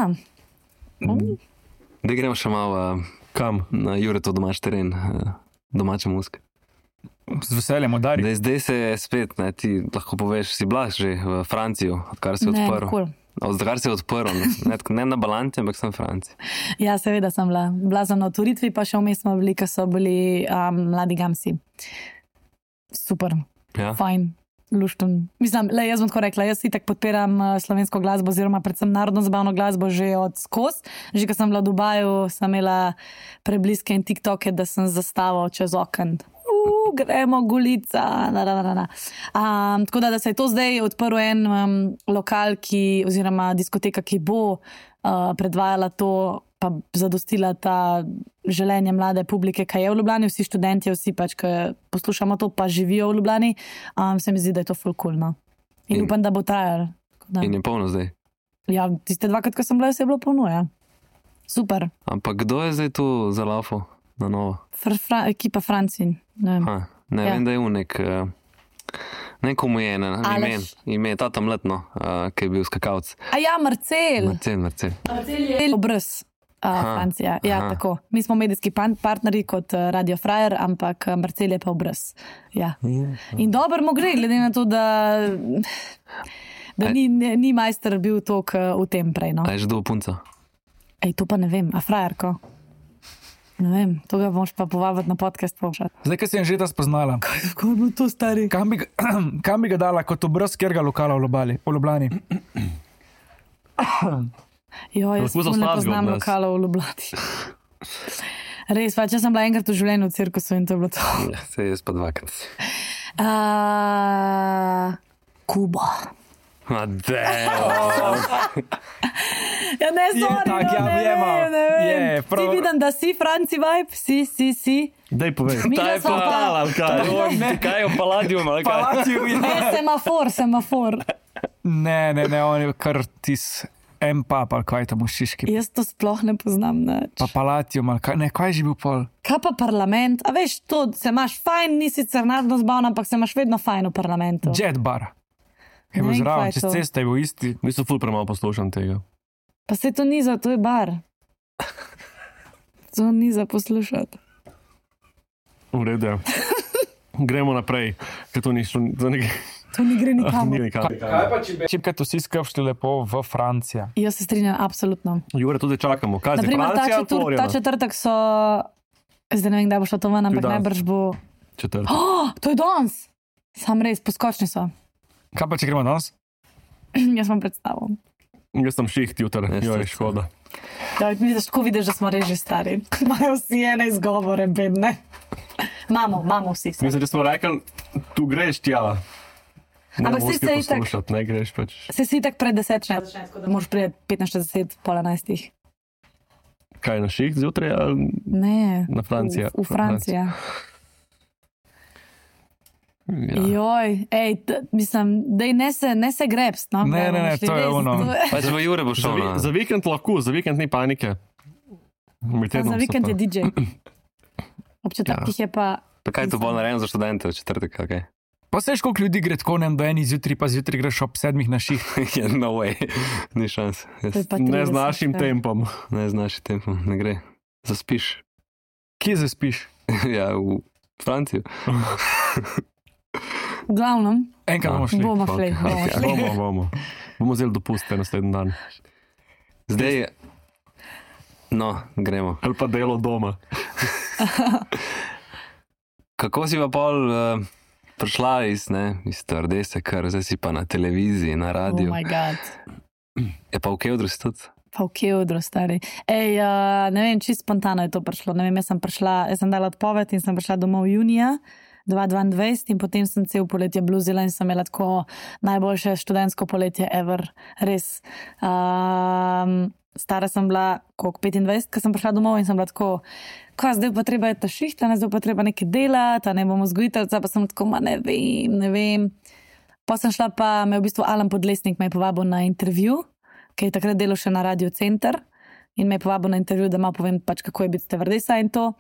da gremo še malo Kam? na Juretov domač teren, domača muska. Z veseljem udari. Zdaj se je spet, ne, ti lahko poveš, si bila že v Francijo, odkar si ne, odprl. nikoli. Odkar si odprl, ne na Balanti, ampak sem v Franciji. Ja, seveda sem bila. Bila sem na otvoritvi, pa še vmes smo bili, ko so bili mladi gamsi. Super, Ja. fajn. Lušten. Mislim, le jaz bom tako rekla, jaz itak podpiram slovensko glasbo, oziroma predvsem narodno zabavno glasbo že od skozi. Že ko sem bila v Dubaju, sem imela prebliske in TikToke, da sem zastavil čez okno. Gremo, gulica. Tako da se je to zdaj odprl en lokal, oziroma diskoteka, ki bo predvajala to, pa zadostila ta željenje mlade publike, kaj je v Ljubljani, vsi študenti, vsi pač, ki poslušamo to, pa živijo v Ljubljani. Se mi zdi, da je to ful cool, no. In upam, da bo trajalo. In je polno zdaj. Ja, tiste dvakrat, ko sem bila, se je bilo polno, ja. Super. Ampak kdo je zdaj tu za lafo na novo? Ekipa Francin. Ne vem. Ne Ja. vem, da je unek. Neko mu je ime, tata mletno, ki je bil skakavc. A ja, Marcel. Marcel. Marcel obraz. Francija. Ja, aha. tako. Mi smo medijski partnerji kot Radio Frajer, ampak Marcel je pa obraz. Ja. In dobro mu gre, glede na to, da ni majster bil tok v tem prej. No. A je že do punca? Ej, to pa ne vem, a frajerko? Ne vem, to ga boš pa povabiti na podcast povšati. Zdaj, ko si že ta spoznala, Kako je bilo to stari? kam bi ga dala kot obraz kjerga lokala v Ljubljani? Jo, jaz Lahko za ne sladko poznam od nas. lokalov v Ljubljani. Res, pa če sem bila enkrat v življenju v cirkusu in to je bilo to. Ja, se je pa dvakrat. Kuba. Ja, ne, sorry, tak, ja, ne vemo. vem. Je, prav. Ti vidim, da si Franci vibe, si. Daj povej. Mi Ta je smo pa, ali kaj? kaj je v Palladium, ali kaj? Palacio je. Ne, semafor. Ne, on je kar tis M-pap, ali kaj tam v Šiški. Jaz to sploh ne poznam. Pa Palacio, ali kaj, ne, kaj je že bil pol? Kaj pa parlament? A veš, to se imaš fajn, nisi sicer narodno zbavna, ampak se imaš vedno fajn v parlamentu. Jet bar. Je bil Ne vem, kaj zraven, je čez to. ceste je bil isti. Mislim, ful premalo poslušam tega. Pa se to ni za, to je bar. To ni za poslušati. V redu. je. Gremo naprej, ker to ni šlo za nekaj. To ni gre Ni nikamor. nikam. Čipkaj vsi skrbšli lepo v Francijo. Jaz se strinjam, absolutno. Jure, tudi čakamo. Kaj zdaj, Naprimer, Francija ali ta Florida? četrtek so, zdaj ne vem, kdaj bo šlo to ven, ampak danes. najbrž bo. Četrtek. Oh, to je danes! Sam res, poskočni so. Kaj pa če gremo danes? Jaz vam predstavljam. Jaz sem šiht jutra, Jaz joj, tudi. škoda. Ja, tako vidiš, da smo res že stari. Imajo vsi ene izgovore, bedne. Imamo vsi. Mislim, da smo rekli, tu greš tja. Ne Ampak moreš saj se kaj itak- poslušati, ne greš pač. Se si tak pred 10, tako da moraš priti 15, 10, pol 11. Kaj na šiht zjutraj ali Ne. na Francijo? V Franciji. Ja. Joj, mislim, da ne se grebst. No, Ne, bomo šli to je res, ono. to je- Pač v Jure bo šel. no. Za vikend lahko, za vikend ni panike. Med Za tednom so vikend pa- je DJ. Ob četrtih je pa. Pa kaj je to bolj narejeno za študente v četrtek, okay? Pa seš, koliko ljudi gre tako, ne vem, do eni zjutraj, pa zjutraj greš ob 7 na šiht. Yeah, no way, ni šans. To je pa Ne 30, z našim ja. tempom. Ne z našim tempom, ne gre. Zaspiš. Kje zaspiš? Ja, v Franciji. V glavnem, Enkrat bomo šli. bomo šli. Ok, bomo ok. šli. Bomo. Bomo vzeli dopuste naslednji dan. Zdaj, no, gremo. Ali pa delo doma. Kako si pa pol prišla iz Trdese, ker zdaj si pa na televiziji, na Oh radiju. moj bog. Je pa v Kevdru si tudi. Pa v Kevdru, stari. Ne vem, čisto spontano je to prišlo. Ne vem, jaz sem dala odpoved in sem prišla domov junija 2022 in potem sem cel poletje bluzila in sem imela tako najboljše študentsko poletje ever. Res. Stara sem bila, koliko, 25, ko sem prišla domov in sem bila tako, zdaj pa treba je ta šihta, zdaj pa treba nekaj delati, ne bomo vzgojiteljica, pa sem tako, ne vem. Pa sem šla pa, me v bistvu Alan Podlesnik me je povabil na intervju, ki je takrat delal še na Radio Center in me je povabil na intervju, da malo povem pač, kako je biti stevardesa in to.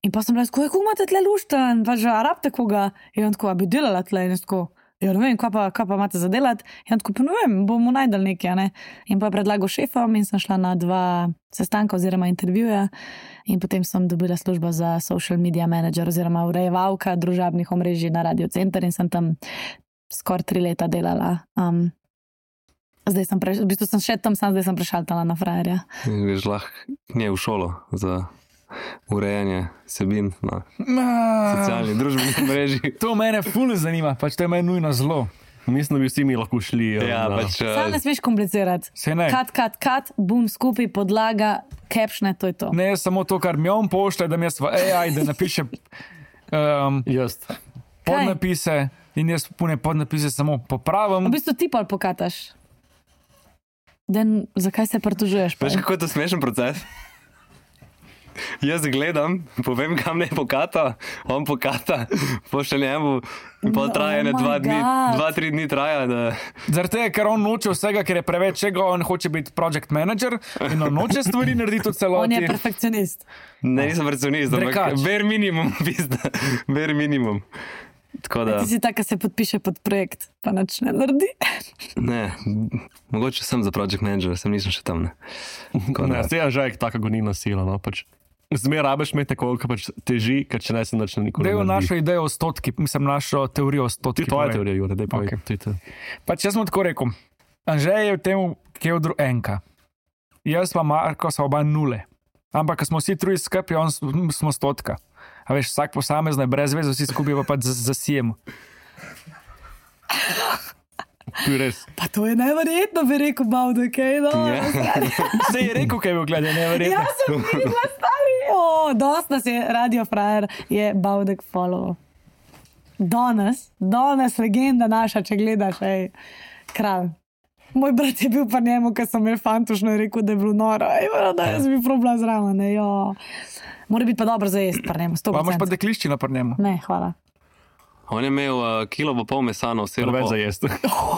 In pa sem bila tako, kako imate tle luštan, pač arabte koga. In on tako, a bi delala tle in jaz tako, ja ne vem, kaj pa imate za delati. In on tako, pa ne vem, bomo najdel nekaj, ne. In pa je predlagal šefom in sem šla na 2 sestanka oziroma intervjuja in potem sem dobila službo za social media manager oziroma urejevalka družabnih omrežij na Radio Center in sem tam skoraj 3 leta delala. Zdaj sem v bistvu sem še tam, zdaj sem prešaltala na frajerja. Greš lahko nje v šolo za urejanje sebin na socialni družbeni mreži. To mene ful zanima, pač to je meni nujno zelo. Mislim, da bi vsi mi lahko šli. Ja, pač, Sam ne smeš komplicirati. Se ne. Kat, bum, skupaj, podlaga, captione, to je to. Ne samo to, kar mi on pošlje, da mi jaz v AI, da napiše Jaz. podnapise in jaz pune podnapise samo popravim. V bistvu ti pa pokataš. Zakaj se pritožuješ? Veš, kako je to smešen proces? Jaz gledam, povem, kam ne pokata, on pokata, pošlje njemu, in pol traja ne Oh my 2 dni, God. 2-3 dni traja. Zaradi tega, ker on noče vsega, ker je preveč čega, on hoče biti project manager in on noče stvari narediti v On celoti. je perfekcionist. Ne, nisem perfekcionist, ampak Drekač. bare minimum, pizda, bare minimum. Tako da, Ti si tak, ki se podpiše pod projekt, pa nič ne naredi. ne, mogoče sem za project manager, sem nisem še tam. Ne. Tako Ne, da, se je že taka gonilna sila. No, pač. Zmer rabiš imeti koliko pač teži, ker če ne se nič nikoli Da ne je naredi. našo idejo o stotki, mislim našo teorijo o Ti stotki. tvoja teorija, Jure, daj povej. Ok. Ti to. Pač jaz sem tako rekel, Anžej je v tem Kevdru enka, jaz pa Marko sva oba nule. Ampak, ko smo vsi trije skupaj, smo stotka. A veš, vsak posamezno je brez veze, vsi skupaj pa pač zasijemo. To je res. Pa to je neverjetno, bi rekel, Bavdo, kaj no. Ja. Se je rekel, kaj je bil gledal, neverjetno. Jaz sem videla stari. Dost nas je Radio Frajer, je Bavdek follow. Danes legenda naša, če gledaš, kralj. Moj brat je bil pa njemu, ker sem imel fantušno in rekel, da je bilo noro. Da jaz bi probala zraven. Mora biti pa dobro za jesti pri njemu. Pa imaš pa dekliščina pri njemu. Ne, hvala. On je imel kilo pa pol mesa na osebo. Več za jesti.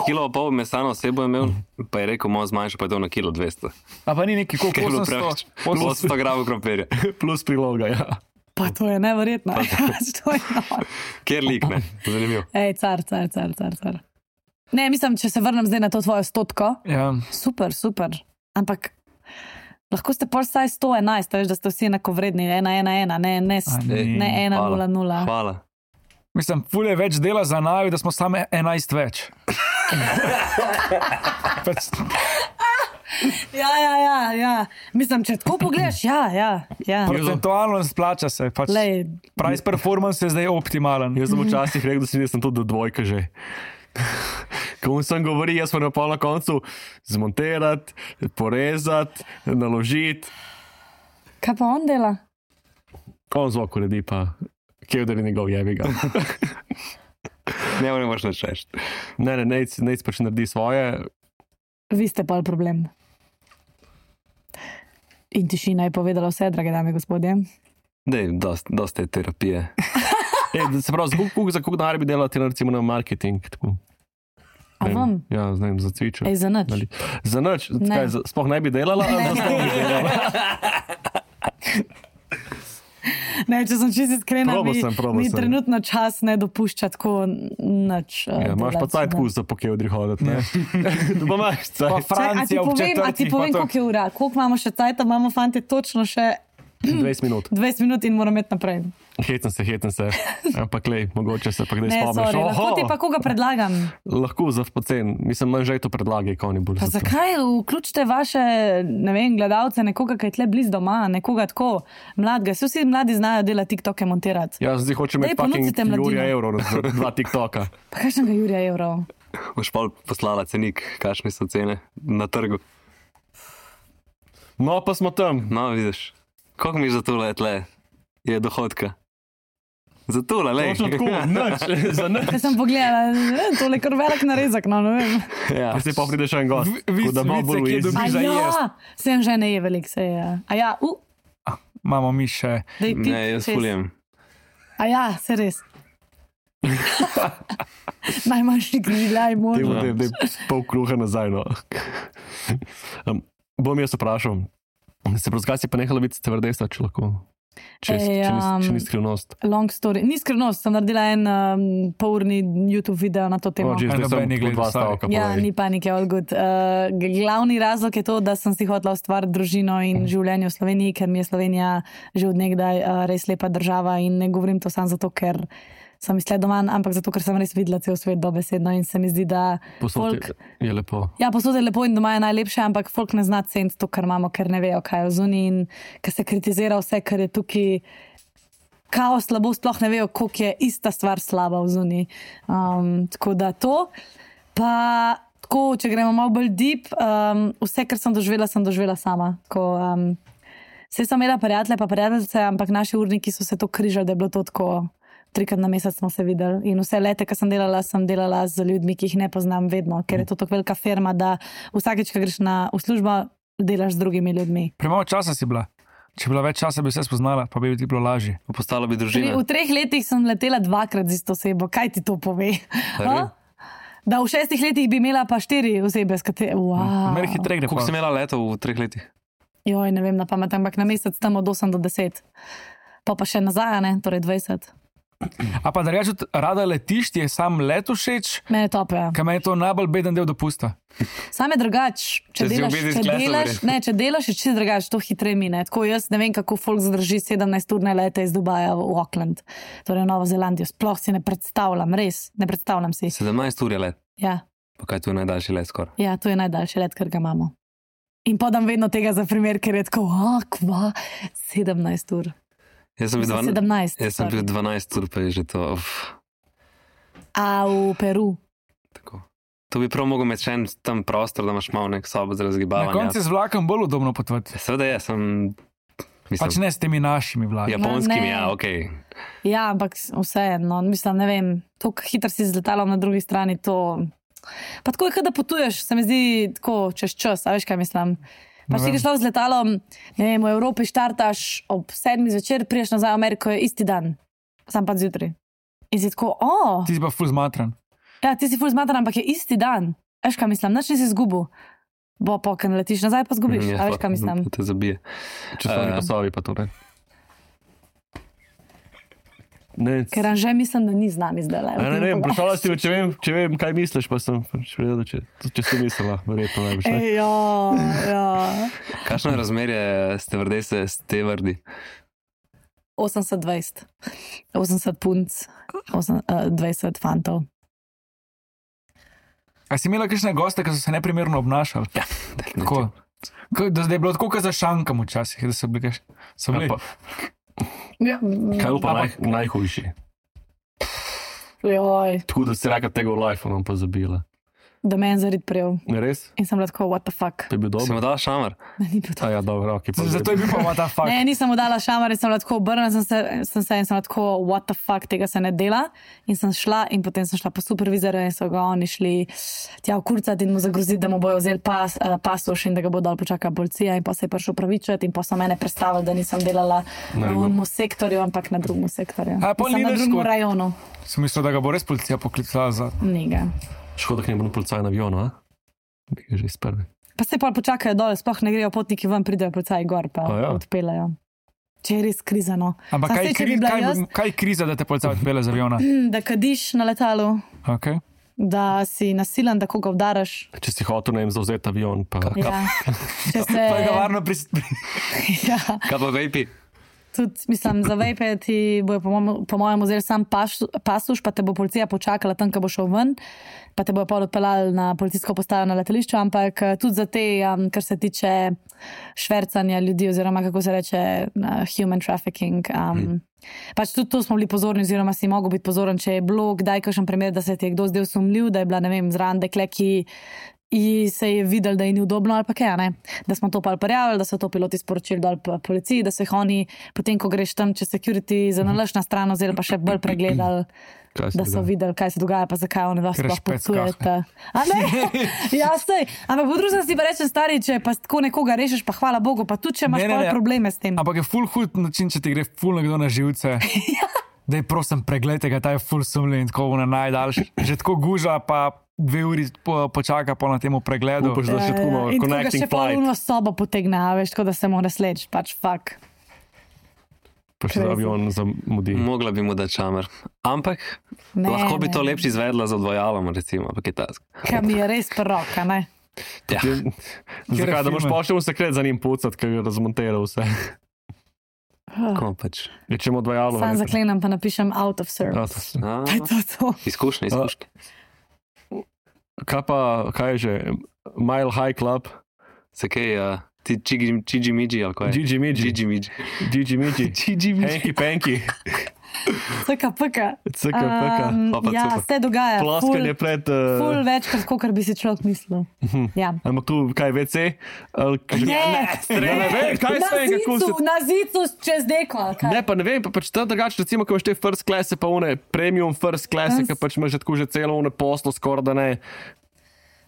Kilo pa pol mesa na osebo je imel, pa je rekel, malo zmanjša, pa je to na kilo 200. A pa ni neki koliko, Ker je bilo preveč. 800 gramov krompirja. Plus priloga, ja. Pa to je neverjetno. To je noro. Kjer lik, ne? Zanimivo. Ej, car. Ne, mislim, če se vrnem zdaj na to tvojo 100, Ja. super. Ampak lahko ste pa vsaj 111, veš, da ste vsi enako vredni, 1-1-1, ne ni. 1-0-0. Hvala. Mislim, ful je več dela za naju, da smo same 11 več. Pač, Ja. Mislim, če tako pogledaš, ja. procentualno splača se. Pač, Lej, price performance je zdaj optimalen. Jaz sem včasih rekel, da sem tudi do dvojka že. Ko sem govori, jaz pa na pol na koncu zmontirati, porezati, naložiti. kaj pa on dela? On zvok uredi pa, kjer je njegov jebiga. Ne moraš nič reči. Ne, nec pač naredi svoje. Vi ste pa problem. In tišina je povedala vse, drage dame in gospodje. Dej, dosta je terapije. Se pravi, za koliko denar bi delala ti recimo na marketing? Tako. A vam? Ja, znam, za cvičo. Ej, za nič. Za nič? Ne. Kaj, sploh ne bi delala? Ali za sploh bi delala? Ne, če sem čisto iskrena, Probal mi sem. trenutno čas ne dopušča tako nič. Ja, imaš pa cajt kus za pokeodri hoditi, ne? Pa imaš Pa cajt. Francija ob a ti četrtih. povem, pa to- koliko je ura? Koliko imamo še cajta? Imamo fante točno še 20 minut. 20 minut in moramo iti naprej. Hecam se. Ampak lej, mogoče se pa kdaj Ne, spomniš. sorry, lahko ti pa koga predlagam. Lahko za pocen. Mislim, manj že to predlagaj, ko ni bolj. Pa zakaj vključite vaše, ne vem, gledalce, nekoga, ki je tle blizu doma, nekoga tako mladega. Vsi mladi znajo delati TikToke montirati. Ja, zdaj hočem Daj, imeti fucking ponudite mladino. Jurija evrov za 2 TikToka. Pa kakšnega Jurija evrov? Boš pa poslala cenik, kakšne so cene na trgu. No, pa smo tam. No, vidiš. Koliko mi za tole tle je dohodka? Za tole, lej. Točno tako, nič, za nič. Jaz sem pogledala, tole je kar velik narezek, no ne vem. Ja. Pa si pa pride še en gost. Vi- Tako da malo vice, bolj ki je ujezi. dobil- A za ja, jest. sem že ne je velik, se je. A ja, Imamo mi še. daj ti. Ne, jaz fuljem. A ja, se res. Najmanjši grilaj možno. Dej pol kruha nazaj, no. Bom jaz vprašal. Se pravi, zakaj si pa nehala biti stevardesa, če lahko? Če ni skrivnost. Long story. Ni skrivnost, sem naredila en polurni YouTube video na to temo. Zdaj noben ni sem gledal, dva sorry. stavka. Ja, povej. ni panike, all good. Glavni razlog je to, da sem si hotela ustvariti družino in življenje v Sloveniji, ker mi je Slovenija že od nekdaj res lepa država in ne govorim to samo zato, ker sem izsledovan, ampak zato, ker sem res videla cel svet dobesedno in se mi zdi, da Posod je lepo. Ja, posod je lepo in doma je najlepše, ampak folk ne zna ceniti to, kar imamo, ker ne vejo, kaj je v zuniji in ker se kritizira vse, kar je tukaj kaos, slabo, sploh ne vejo, koliko je ista stvar slaba v zuniji. Tako da to. Pa tako, če gremo malo bolj deep, vse, kar sem doživela sama. Tako, vse sem imela prijatelje, pa prijateljice, ampak naši urniki so se to križali, da je bilo to tako. 3-krat na mesec smo se videli in vse lete, ko sem delala z ljudmi, ki jih ne poznam vedno, ker je to tako velika firma, da vsakeč, ko greš v službo, delaš z drugimi ljudmi. Premalo časa si bila. Če bi bila več časa, bi se spoznala, pa bi ti bilo lažje. Postala bi družina. V 3 letih sem letela 2-krat z isto osebo. Kaj ti to pove? Res? Da v 6 letih bi imela pa 4 osebe, s katerimi. Wow. Mer hitreje gre. Koliko si imela letov v 3 letih? Joj, ne vem na pamet, ampak na mesec tam od 8 do 10. Pa še nazaj, ne, torej 20. A pa da rečeš, rada letiš, ti je sam let všeč, Mene top, ja. kam je to najbolj beden del dopusta. Sam je drugač, če Če si v delaš, business če classu, delaš, verjetno. ne, če delaš, je čisto drugače, to hitreje mine. Tako jaz ne vem, kako folk zdrži 17-urne lete iz Dubaja v Auckland, torej v Novo Zelandijo. Sploh si ne predstavljam, res, ne predstavljam si. 17 ur je let. Ja, Pa kaj tu je najdaljši let skoraj? ja, to je najdaljši let, kar ga imamo. In podam vedno tega za primer, ker je tako, kva, 17 ur. Jaz sem bil 17. Jaz sem bil 12 ur, pa je že to. A v Peru. Tako. To bi prav mogel imeti še en tam prostor, da imaš malo nek sobo za Na razgibavanje. koncu je z vlakom bolj udobno potovati. Seveda je, sem. Pač ne s temi našimi vlaki. Japonskimi, Ne. ja, ok. Ja, ampak vseeno, mislim, ne vem, to, kako hitro si z letalom na drugi strani, to Pa tako je, kot da potuješ, se mi zdi tako čez čas, a veš, kaj mislim. Pač ti, ki šlo z letalom, ne vem, v Evropi štartaš ob 7 zvečer, priješ nazaj v Ameriko, je isti dan, sam pa zjutraj. In si tako, Ti si pa ful zmatran. Ja, ti si ful zmatran, ampak je isti dan. Veš, kaj mislim, nič nisi izgubil. Bo pa, ker letiš nazaj, pa zgubiš, a veš, kaj mislim. Te zabije. Časovni pasovi pa to ne. Ne, Ker Anže mislim, da ni z nami zdaj. ne vem, vprašala si me, če vem, kaj misliš, pa sem vedel, če si mislila, verjetno najbolj. Ja. Kakšno je razmerje stevardi? 80-20. 80 punc, 20 fantov. A si imela kakšne goste, ki so se neprimerno obnašali? Ja, Tako. Da zdaj je bilo tako, kot za šankam včasih, da so bili. So bili. Ja. Kaj je pa najhujši? Joj, Tako da si rekel tega v life, pa zabila. da me je zarid prijel. Res? In sem bila tako, what the fuck. To je bil Si dobro? mu dala šamar? Ne, ni bil to. Ja, dobro, ok. Zato je bil pa what the fuck. Ne, nisem mu dala šamar in sem bila tako obrnjena, sem se in sem bila tako, what the fuck, tega se ne dela. In sem šla in potem sem šla po supervizorju in so ga oni šli tja vkurcati in mu zagroziti, da mu bojo vzeli pasoš in da ga bo dal počakala policija in pa se je prišel pravičati in pa so mene prestavili, da nisem delala v enem sektorju, ampak na drugem sektorju. A, pol Sem na ni drugem škod. rajonu. Sem mislil, da ga bo res policija poklicala za... Njega. Škoda, da ne bo policaj na avionu, a? Bi ga že iz prve. Pa se pa počakajo dol, sploh ne grejo potniki ven, pridejo policaji gor, pa A ja. odpeljajo. Če je res kriza, no. Ampak Saj kaj, saj, če bi bila jaz, kaj je kriza, da te policija odpele z aviona? da kadiš na letalu, Okay. da si nasilen, da koga vdaraš. Če si hotel, ne vem, zauzeti avion, pa... Ja. Če se, Pa je ga varno ja, Kaj pa vejpi? tudi, mislim, za vejpe ti bojo po mojem vzeli sam pasuš, pa te bo policija počakala tam, ko bo šel ven, pa te bojo pol odpeljali na policijsko postajo na letališču, ampak tudi za te, kar se tiče švercanja ljudi oziroma kako se reče human trafficking. Pač tudi to smo bili pozorni oziroma si mogel biti pozoren, če je bilo kdaj kakšen primer, da se ti je kdo zdel sumljiv, da je bila, ne vem, zraven dekle, ki se je videl, da je ni udobno ali pa kaj, ne? Da smo to pa prijavili, da so to piloti sporočili dol policiji, da so jih oni, potem ko greš tam čez security, zanalaš na stran oziroma pa še bolj pregledali, da so videli, kaj se dogaja, pa zakaj oni vas sploh potujete. A ne? Ja, sej. Ampak po drugi strani si pa rečem, stari, če pa tako nekoga rešiš, pa hvala Bogu, pa tudi če imaš probleme s tem. Ampak je ful hud način, če ti gre ful nekdo na živce. Daj, prosim, pregledajte ga, ta je ful sumljiv in tako najdaljši. Že tako guža, pa 2 uri počaka po na temu pregledu. Upaš, da še tako malo In tako ga connecting še flight. polno sobo potegne, a veš, tako da se mora sleč, pač fuck. Pa še za avion zamudi. Mogla bi mu dati šamar. Ampak Ne, lahko bi to ne. lepše izvedla z odvajalom, recimo, ampak je task. Kaj mi je res proroka, ne? Ja. Zakaj, da boš filme? pošel sekret za njim pucat, ker je razmonteral vse. Ko pač. Rečemo odvajalo. Sam zaklenem, pa napišem out of service. A, Pa je to. izkušnje. Kaj je že? Mile High Club, Se kaj, ti Gigi Miji ali kaj? Gigi Miji, Gigi Miji. Gigi Miji, Gigi Miji. Hanky Panky, CKPK. CKPK, Pa Ja, super. se dogaja. ploskanje pred... Ful večkrat, kot bi si človek mislil. Ja. Ampak tu kaj WC? Ne vem, kaj na sve, kako se... zicu, na zicu čez deko. ali kaj? Ne, pa ne vem, pa pač tam drugače, recimo, ko imaš te first class, pa one premium first class, ki pač imaš že tako že celo one poslo, skoraj da ne.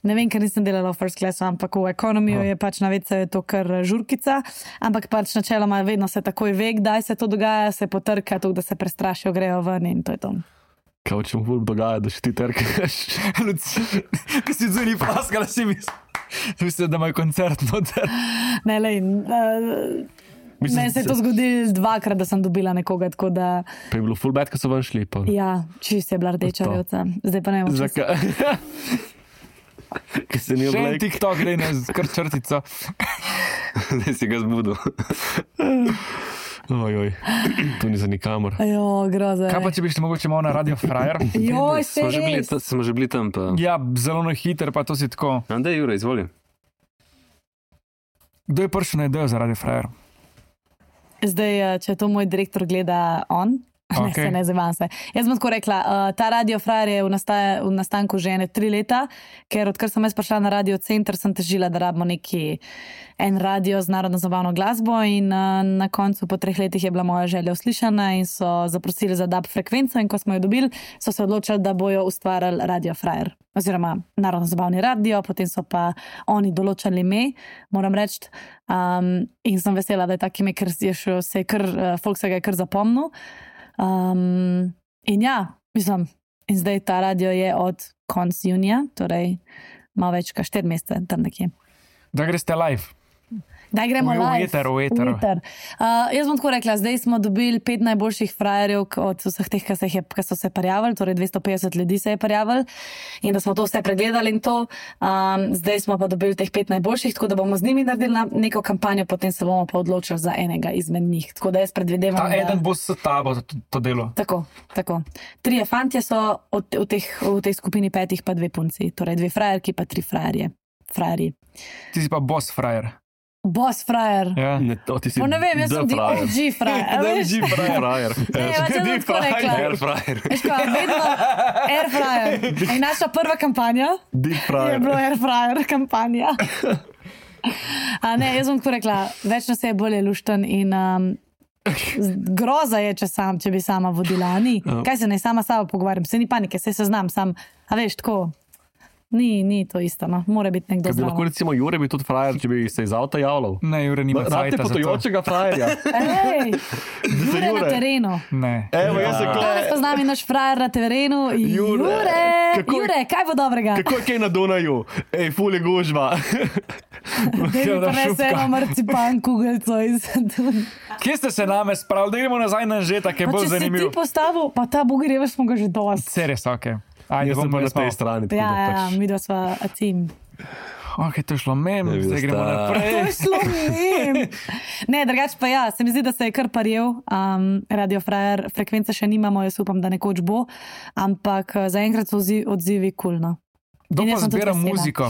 Ne vem, ker nisem delala v first classu, ampak v ekonomiju je pač na WC je to kar žurkica, ampak pač načeloma vedno se takoj ve, kdaj se to dogaja, se potrka, tudi da se prestrašijo, grejo ven in to je to. Kaj če mu ful dogaja, da še ti trkaš? Ko si zunaj plaskala, si mislil, da ima koncert noter. Ne, lej, meni se je to zgodilo 2-krat, da sem dobila nekoga, tako da Pa je bilo full bad, ko so ven šli. Pa. ja, čist je bila rdeča To. rjoca. Zdaj pa ne vem, če Zakaj? Ker se ni Še en oblek. TikTok gre na kar črtico. Zdaj si ga zbudil. Ojoj, tu ni za nikamor. Ajo, groza. Kaj pa, če bi šli mogoče malo na Radio Frajer? Joj, se res. Smo že bili tam. Pa. Ja, zelo na hiter, pa to si tako. Andej, Jure, izvoli. Kdo je prišel na idejo za Radio Frajer? Zdaj, če to moj direktor gleda on, Okay. Ne zavam se. Jaz bom tako rekla, ta Radio Frajer je v nastanku že 3 leta, ker odkar sem jaz prišla na Radio Center, sem težila, da rabimo en radio z narodno zabavno glasbo in na koncu po 3 letih je bila moja želja uslišana in so zaprosili za DAB frekvenco in ko smo jo dobili, so se odločili, da bojo ustvarjali Radio Frajer. Oziroma narodno zabavni radio, potem so pa oni določali ime, moram reči. In sem vesela, da je tak ime, ker folk se ga je kar zapomnil. In ja, mislim, in zdaj ta radio je od konc junija, torej malo več kot 4 mesece, tam nekje. Da greste live. Da gremo live. V eter. Jaz bom tako rekla, zdaj smo dobili 5 najboljših frajerjev od vseh teh, ki so se prijavili, torej 250 ljudi se je prijavili in da smo to vse pregledali in to. Zdaj smo pa dobili teh 5 najboljših, tako da bomo z njimi naredili neko kampanjo, potem se bomo pa odločili za enega izmed njih. Tako da jaz predvidevam, Ta eden bo s tabo to delo. Tako. 3 fantje so v tej skupini 5 pa 2 punci, torej 2 frajerki pa 3 frajerji. Ti si pa boss frajer. Boss frajer. Ja. Ne, ti si Ne vem, jaz sem ti OG frajer. OG frajer. Ne, jaz sem tako rekla. Air fryer. Veš kaj, vedno Air Fryer. In naša prva kampanja Deep je frajer. bilo Air Fryer kampanja. Ne, jaz sem tako rekla, več nas je bolje lušten in groza je, če bi sama vodila. Ni. Kaj se naj sama s sabo pogovarjam? Se ni panike, se znam sam. A veš, tako. Ni to isto, no. Mora biti nekdo Kaj bi lahko zraven. recimo Jure bi tudi frajer, če bi se iz avta javljal? Ne, Jure nima Rabite cajta za to. potujočega frajerja. Ej, Jure na Jure. terenu. Ne. Evo, jaz se Danes pa z nami naš frajer na terenu. Jure. Kako- Jure, kaj bo dobrega? Kako je kaj na Dunaju? Ej, ful je gužva. Da mi Kjera prinese šupka. eno marcipan kugelco iz Dunja. Kje ste se name spravili? Da gremo nazaj na Anžeta, ki je Pa bolj če si zanimiv. ti postavil, pa ta bugerjeva smo ga že dosti. Seres, ok. Ajde, Jaz sem bom pa na res malo. tej strani. tako Ja, da ja, pač- mi dva sva a tim. Ok, to je šlo mem, Ne bi zdaj gremo dostala. To naprej. je šlo mim. Ne, drugače pa ja, se mi zdi, da se je kar parjel. Radio Frajer, frekvence še nimamo, jaz upam, da nekoč bo, ampak zaenkrat so odzivi kulno. Kdo In pa jaz sem tudi zbira vesela. muziko?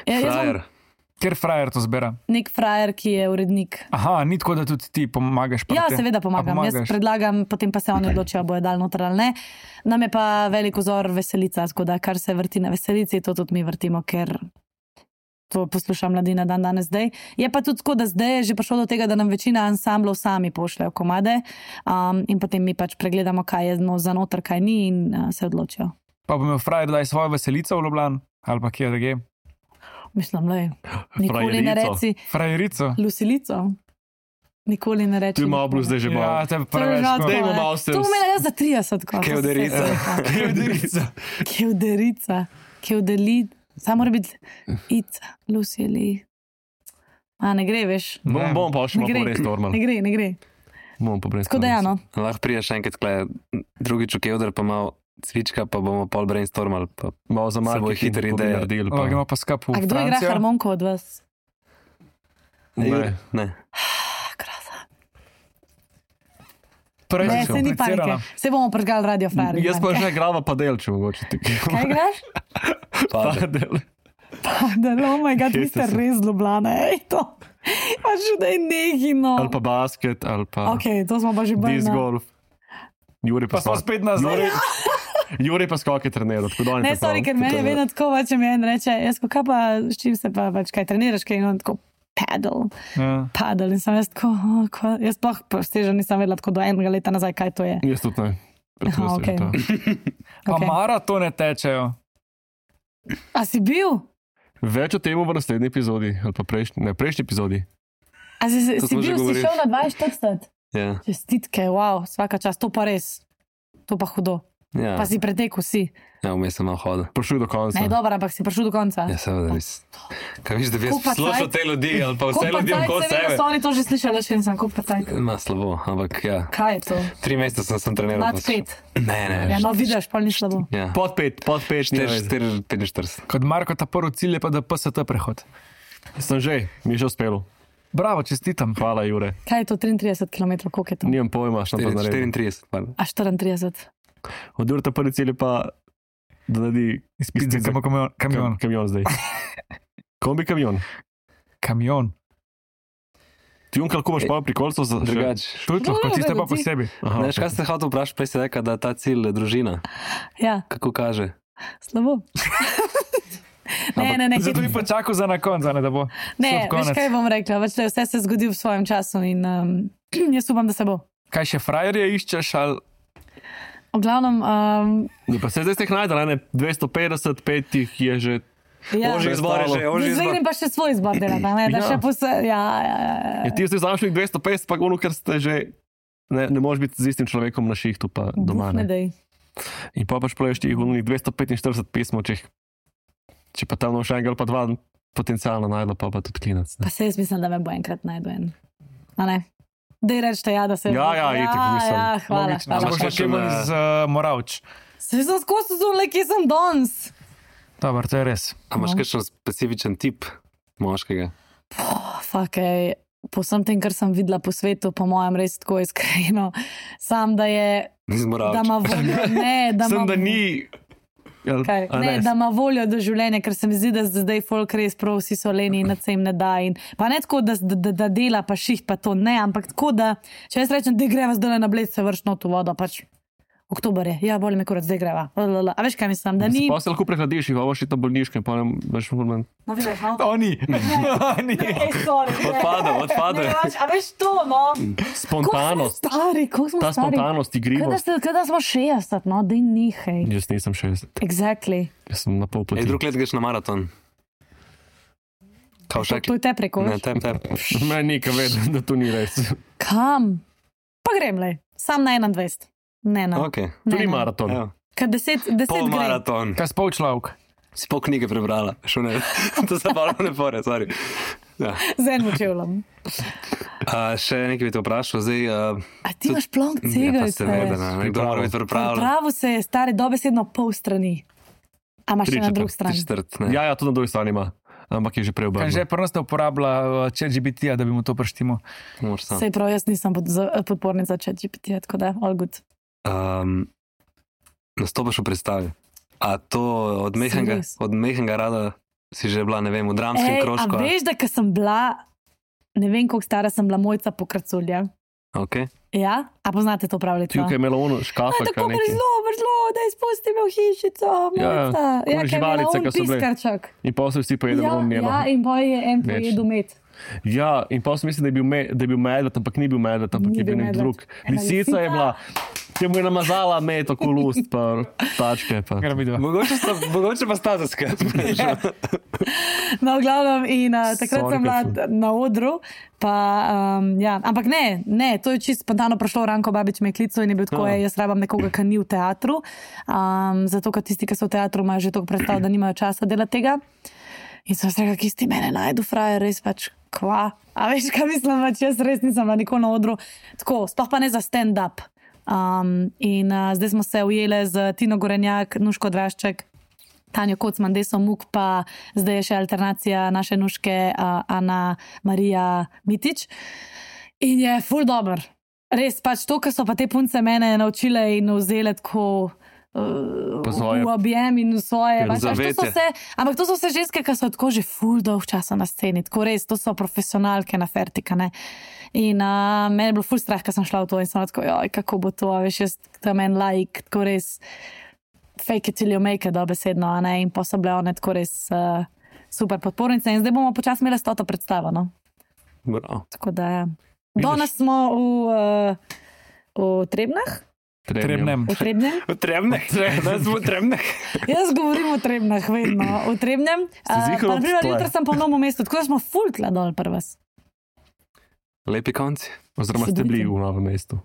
Ja, jaz Frajer. sem Ker frajer to zbira? nek frajer, ki je urednik. Aha, ni tako, da tudi ti pomagaš. pri Ja, tem? seveda A pomagam. Jaz pomagaš? predlagam, potem pa se oni odločijo, bojo dal noter ali ne. Nam je pa velik vzor Veselica, tako da kar se vrti na Veselici, to tudi mi vrtimo, ker to posluša mladina danes zdaj. Je pa tudi tako, da zdaj je že prišlo do tega, da nam večina ansamblov sami pošljajo komade in potem mi pač pregledamo, kaj je za noter, kaj ni in se odločijo. Pa bo imel frajer daj svojo veselico v Ljubljani ali pa kje drugje. Mislim, da nikoli ne Frajerico. reci Frajerico. Lusilico. Nikoli ne reči. Tu je malo bilo zdaj že Ja, malo. te To je preveč. že tako. Dajmo malo se To umela jaz za 30. Kot, Kevderica. Kevderica. Kevdeli. Samo mora biti Ica, Lucili. Ne gre, veš. Bom pa še Ne malo gre. prej stormal. Ne gre. Bom pa prej Tako da ja, no. Lahko priješ enkrat, kle, drugič v Kevder, pa malo cvička, pa bomo pol brainstormali. Pa Malo za Se bo marketing hitro bi ideja. naredili, Lahko pa- gremo pa skup A v kdo igra Francijo. harmonko od vas? Ne. Ne. Krasa. Prej Ne, si se ni komplicirala. panike. Se bomo pržgali Radio Frajer. Jaz pa že igrava padel, če mogoče ti. Kaj igraš? Padel. Oh my god, vi Kje ste ste se? res Ljubljana, ej to. Pač da je nekino. Ali pa basket, ali pa Ok, to smo pa že bolj disc na... golf. Juri Pa smo spet nazaj. Juri pa skoke treniral, tako da on je Ne, sorry, ker meni je vedno tako, če mi en reče, jaz ko kaj pa, s čim se pa pač kaj treniraš, kaj in on tako Ja. paddle in sem jaz tako, jaz pa steža nisem vedela tako do enega leta nazaj, kaj to je. Jaz tudi ne. Aha, okej. Pa Okay. maratone tečejo. A si bil? Več o tem v naslednji epizodi, ali pa prejšnji epizodi. A si To smo že bil, si govorili. šel na 42? Ja. Čestitke, wow, vsaka čast, to pa res. To pa hudo. Ja, Pa si pretekel, si. ja vmes sem malo hodil. Prišel do konca. Ne, dobro, ampak si prišel do konca. Ja, seveda, res. Kaj viš, da bi jaz Koliko pa poslušal cajt? te ljudi ali pa vse Koliko ljudi cajt, okoli seveda sebe? so oni to že slišali, še nisem, koliko pa cajt. Ma slabo, ampak ja. Kaj je to? 3 mesece sem treniral. Nad pač. 5. Ne, Ja, no vidiš, pa ni slabo. Ja. Pod 5, ni več. 45. Kot Marko, ta prvi cilj je pa da PST prehod. Sem že, mi je že uspelo. Bravo, čestitam. Hvala, Jure. Kaj je to 33 km, koliko je to? Nimam pojma, šta pa naredim. 34. pardon. A 34. Od Jurta prvi cilj je pa, da naredi Izpit za kamion. Kamion zdaj. Kombi kamion. Kamion. Ti lahko imaš pa pri kolcu za Drugač. Tudi lahko, No, tiste pa vedno ti. posebej. Ne veš, kaj ste hotel vprašati, prej si rekel, da je ta cilj družina. Ja, Kako kaže? slabo. Ne, Zato bi pa čakal za na konc, da bo ne, slab veš konec. kaj bom rekla, vse se zgodi v svojem času in jaz upam, da se bo. Kaj še frajerje iščeš ali V glavnem, Ne, pa se zdaj ste jih najdel, ne? 250, 5 jih je že. ja. Ožji izbor je že, ožji Zdaj izbor. grem pa še svoj izbor delati, ne, da Ja. še ja. Ja, ti ste znašli 250, pa ono, ker ste že. Ne moreš biti z istim človekom na šihtu, pa doma. Ne Ne. dej. In pa pač pleješ tih 245 pismov, če pa tam še enega ali pa dva potencialno najdel, pa tudi klinec. Pa se jaz mislim, da me bo enkrat najdu en. A ne? Dej rečete, ja, da se Ja, itak mislim. Ja, hvala. logično? hvala. Boš še še na- iz Moravč. Se sem skozi zunaj, kje sem danes. Dobar, to je res. A imaš kakšen specifičen tip moškega? Fakej, po vsem tem, kar sem videla po svetu, po mojem res tako iskreno, sam da je, Iz da Moravč. ima voljo, ne, da Sem ima da ni. Kaj, ne, da ima voljo do življenja, ker se mi zdi, da zdaj folk res prav vsi so leni in se jim ne da. In, pa ne tako, da dela pa šiht, pa to ne, ampak tako, da če jaz rečem, da greva zdaj na Bled, se vrš not v vodo, pač oktober je, ja, boli me kurat, zdaj greva. A veš, kaj mislim, da ni. Pa se lahko prehladiš, jih ovoš ta bolniška in pa ne veš, moment. No, vidiš, no? Oni. Oni. Ej, sorry, ne. Odpade. Ne, pač, a veš to, no? Spontanost. Koliko smo Ta stari? spontanost, igrivost. Kada smo 60, no, da nihaj. Jaz nisem 60, Exactly. jaz sem na pol Ej, poti. drug let greš na maraton. Kao še To je te preko. Ne, tep. Meni nikaj vedem, da to ni res. Kam? Pa grem le, sam na 21. Ne, ne. Ok. To ni Ne, ne. maraton. Evo. Kad 10 Pol gre. maraton. Kaj spol človek? Si pol knjige prebrala. Šel ne. To se pa ne fore, sorry. Ja. Z enim čevljem. Še nekaj bi te vprašal. Zdaj, A ti imaš plonk ja, pa cegajce? seveda, ne. Nekdo mora biti pripravljen. Pravo se je stari dobesedno pol strani. A imaš še na 3/4, drugi strani? Četrt, ne. Ja, to na drugi strani ima, ampak je že Kaj že preobrnjeno. prvo ste uporabila ChatGPT-ja, da bi mu to preštimo? Moraš sam. Sej prav, jaz nisem podpornica ChatGPT, tako da all good. Nastopaš v predstavi. A to od mehenega rada si že bila, ne vem, v dramskem krožku? A veš, da ko sem bila, ne vem, koliko stara sem bila, Mojca Pokraculja. Okay. Ja? A poznate to pravljico? Tukaj je imela ono škafek. Tako zelo, da izpusti me v hišico, Mojca. Ja, kaj je živalice, imela on ki so bile. piskarček. In pa so vsi pojedli Ja, v njeno. ja, in boj je en Več. pojedel med. Ja, in pa sem mislil, da je bil medved, ampak ni bil medved, ampak Ni je bil bil nek medved. drug. Ena Lisica je lisica. bila, ki mu je namazala med tako lust, pa tačke. Pa. Kaj vidva? Mogoče pa sta zaskrat. No, v glavnem, in takrat Sorry, sem bila Katja. na odru. Pa, ja. Ampak ne, to je čisto spontano prišlo. Ranko Babič me je klical in je bil tako, jaz rabam nekoga, ki ni v teatru. Zato, ker tisti, ki so v teatru, imajo že toliko predstav, da nimajo časa delati tega. In sem se rekla, ki si mene najdu, frajer, res pač kva. A veš, kaj mislim, pač jaz res nisem bila nikoli na odru. Tako, sploh pa ne za stand-up. Zdaj smo se ujeli z Tino Gorenjak, Nuško Drašček, Tanjo Kocman, Deso Muk, pa zdaj je še alternacija naše Nuške, Ana Marija Mitič. In je ful dober. Res pač to, kar so pa te punce mene naučile in vzele tako svoje. v objem in v svoje. Pač, to zavetje. ampak to so vse ženske, ki so tako že ful dolg časa na sceni. Tako res, to so profesionalke na fertika. Ne? In meni je bilo ful strah, ko sem šla v to in sem tako, joj, kako bo to, a veš, jaz tam en like, tako res fake it till you make it, dobesedno, a ne, in pa so bile one tako res super podpornice in zdaj bomo počasi imeli 100 predstavo, no. Bravo. Tako da, ja. Danes smo v Trebnah, Trebnem. v Trebnem. V Trebneh. Da smo v Trebneh. Jaz govorim o Trebnah, vedno, v Trebnem. ziher Pa naprimer, obstoje? jutri sem po novem mestu, tako da smo ful tla dol pri vas. Lepi konci. Oziroma ste bili v novem mestu.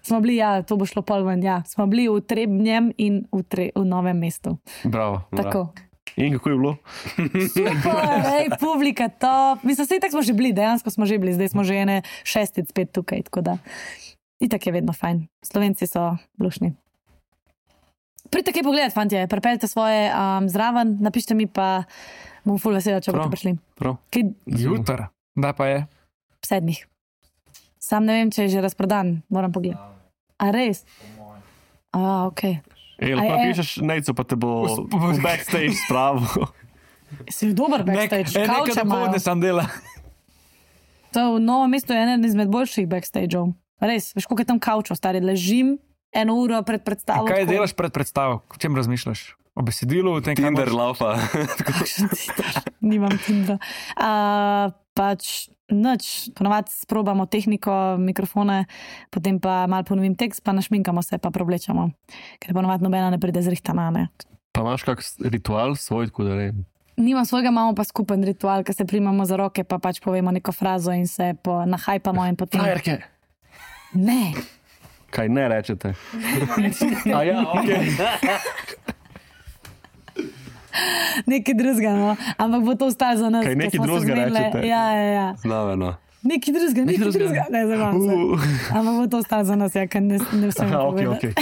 Smo bili, ja, to bo šlo pol ven, ja. Smo bili v Trebnjem in v novem mestu. Bravo. Tako. In kako je bilo? Super, ej, publika, top. Mislim, sej tako smo že bili, dejansko smo že bili, zdaj smo že ene šestic spet tukaj, tako da. Itak je vedno fajn. Slovenci so lušni. Pridite kaj pogledat, fantje, pripeljte svoje zraven, napište mi pa, bom ful vesela, če boste Prav. prišli. Prav. Kaj Jutr. Da pa je. 7. Sam ne vem, če je že razprodan, moram pogledati. A res? Ok. Lahko Aj, napišeš nejco, pa te bo v backstage spravil. Si dober backstage, Nekaj kavče dopoledne imajo. sem dela. To v Novem mestu je eden izmed boljših backstageov. Res, veš, koliko je tam kavčo, stari, ležim 1 uro pred predstavo. Kaj tako. delaš pred predstavo? O čem razmišljaš? O besedilu? O tem, kaj Tinder moraš- laufa. Nimam Tindra. Pač nič, ponovadi sprobamo tehniko, mikrofone, potem pa malo ponovim tekst, pa našminkamo se, pa preoblečemo. Ker ponovadi nobena ne pride zrihtana, ne. Pa imaš kak ritual svoj, tako da ne. Nimam svojega, imamo pa skupen ritual, ko se primamo za roke, pa pač povemo neko frazo in se nahajpamo in potem... Frajerke. Ne, Kaj ne rečete? A ja, ok. nekaj drugega, no. Ampak bo to ostalo za nas. Kaj ker nekaj smo se drugega zmenile. rečete? Ja. Znaveno. Nekaj drugega. Ne, zabavam se. Ampak bo to ostalo za nas, ja, ker ne vsem Aha, ok, povedati. ok.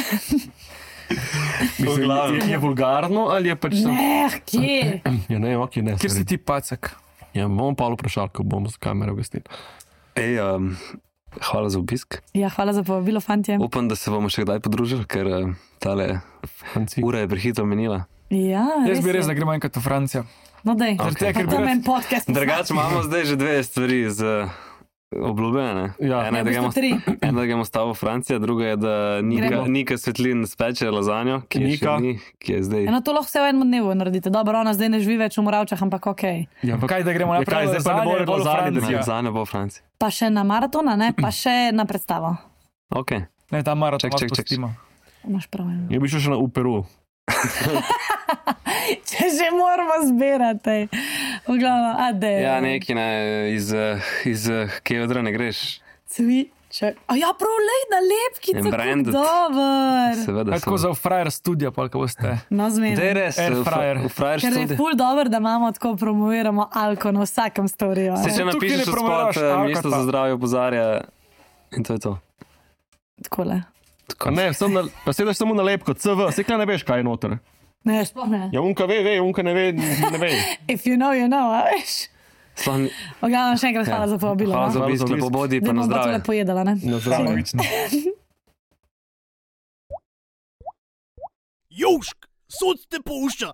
Mislim, je vulgarno ali je pač... Ne, kje? Ja, ne, ok, ne. Kjer si sorry. ti pacek? Ja, bom pa vprašal, ko bomo z kamero gostili. Ej, hvala za obisk. Ja, hvala za povabilo, fantje. Upam, da se bomo še kdaj podružili, ker tale Fanci. ura je prehitro minila. Ja, Jaz bi je. res, da gremo enkrat v Francijo. No, dej. Zaradi tega, ker Pa bi tam rad- en podcast. Drugače imamo zdaj že 2 stvari z obljubljene. Ja. Ena Ja, je, v da gremo, bistvu 3. ena, da gremo stavo v Francijo, druga je, da Gremo. Nika Svetlin speče lazanjo, ki je, Nika. še ni, ki je zdaj. Eno to lahko vse v enem dnevu naredite. Dobro, ona zdaj ne živi več v Moravčah, ampak ok. Ja, ampak Kaj, da gremo Ja, kaj, naprej? zdaj pa ne bo Lazanje, bolj v lazanje, da Francijo. Lazanja bo v Franciji. Pa še na maratona, ne? Pa še na predstavo. Ok. Ne, ta maraton Čak. pustimo. Imaš prav. Ja. Ja bi šel še na Peru. Če že moramo zbirati. V glavnem, ade. Ja, neki ne, iz Kevedra ne greš. Cviček. A ja, prav lej na lepkico, In branded. kako dober. Seveda. Tako za v Frajer studio, pa ko boste. No, Da je zmeraj. res, Air fryer. v Frajer Ker je študiju. ful dober, da imamo tako promoviramo alko na vsakem storju. Se če Tukaj napišeš ne v promoviraš spot, alkohola. ministro za zdravje opozarja in to je to. Takole. A ne, pa sedaš samo na lepko, CV, se kaj ne veš, kaj je noter. Ne, sploh ne. Ja, unka ve, unka ne ve, ne ve. If you know, you know, a veš. Sploh ni- V glavnem, še enkrat hvala za povabilo. Hvala za no. obisk, lepo bodi, Da pa na bom pa zdravje. tole pojedala, ne? Na zdravje. Južk, sod te pušča.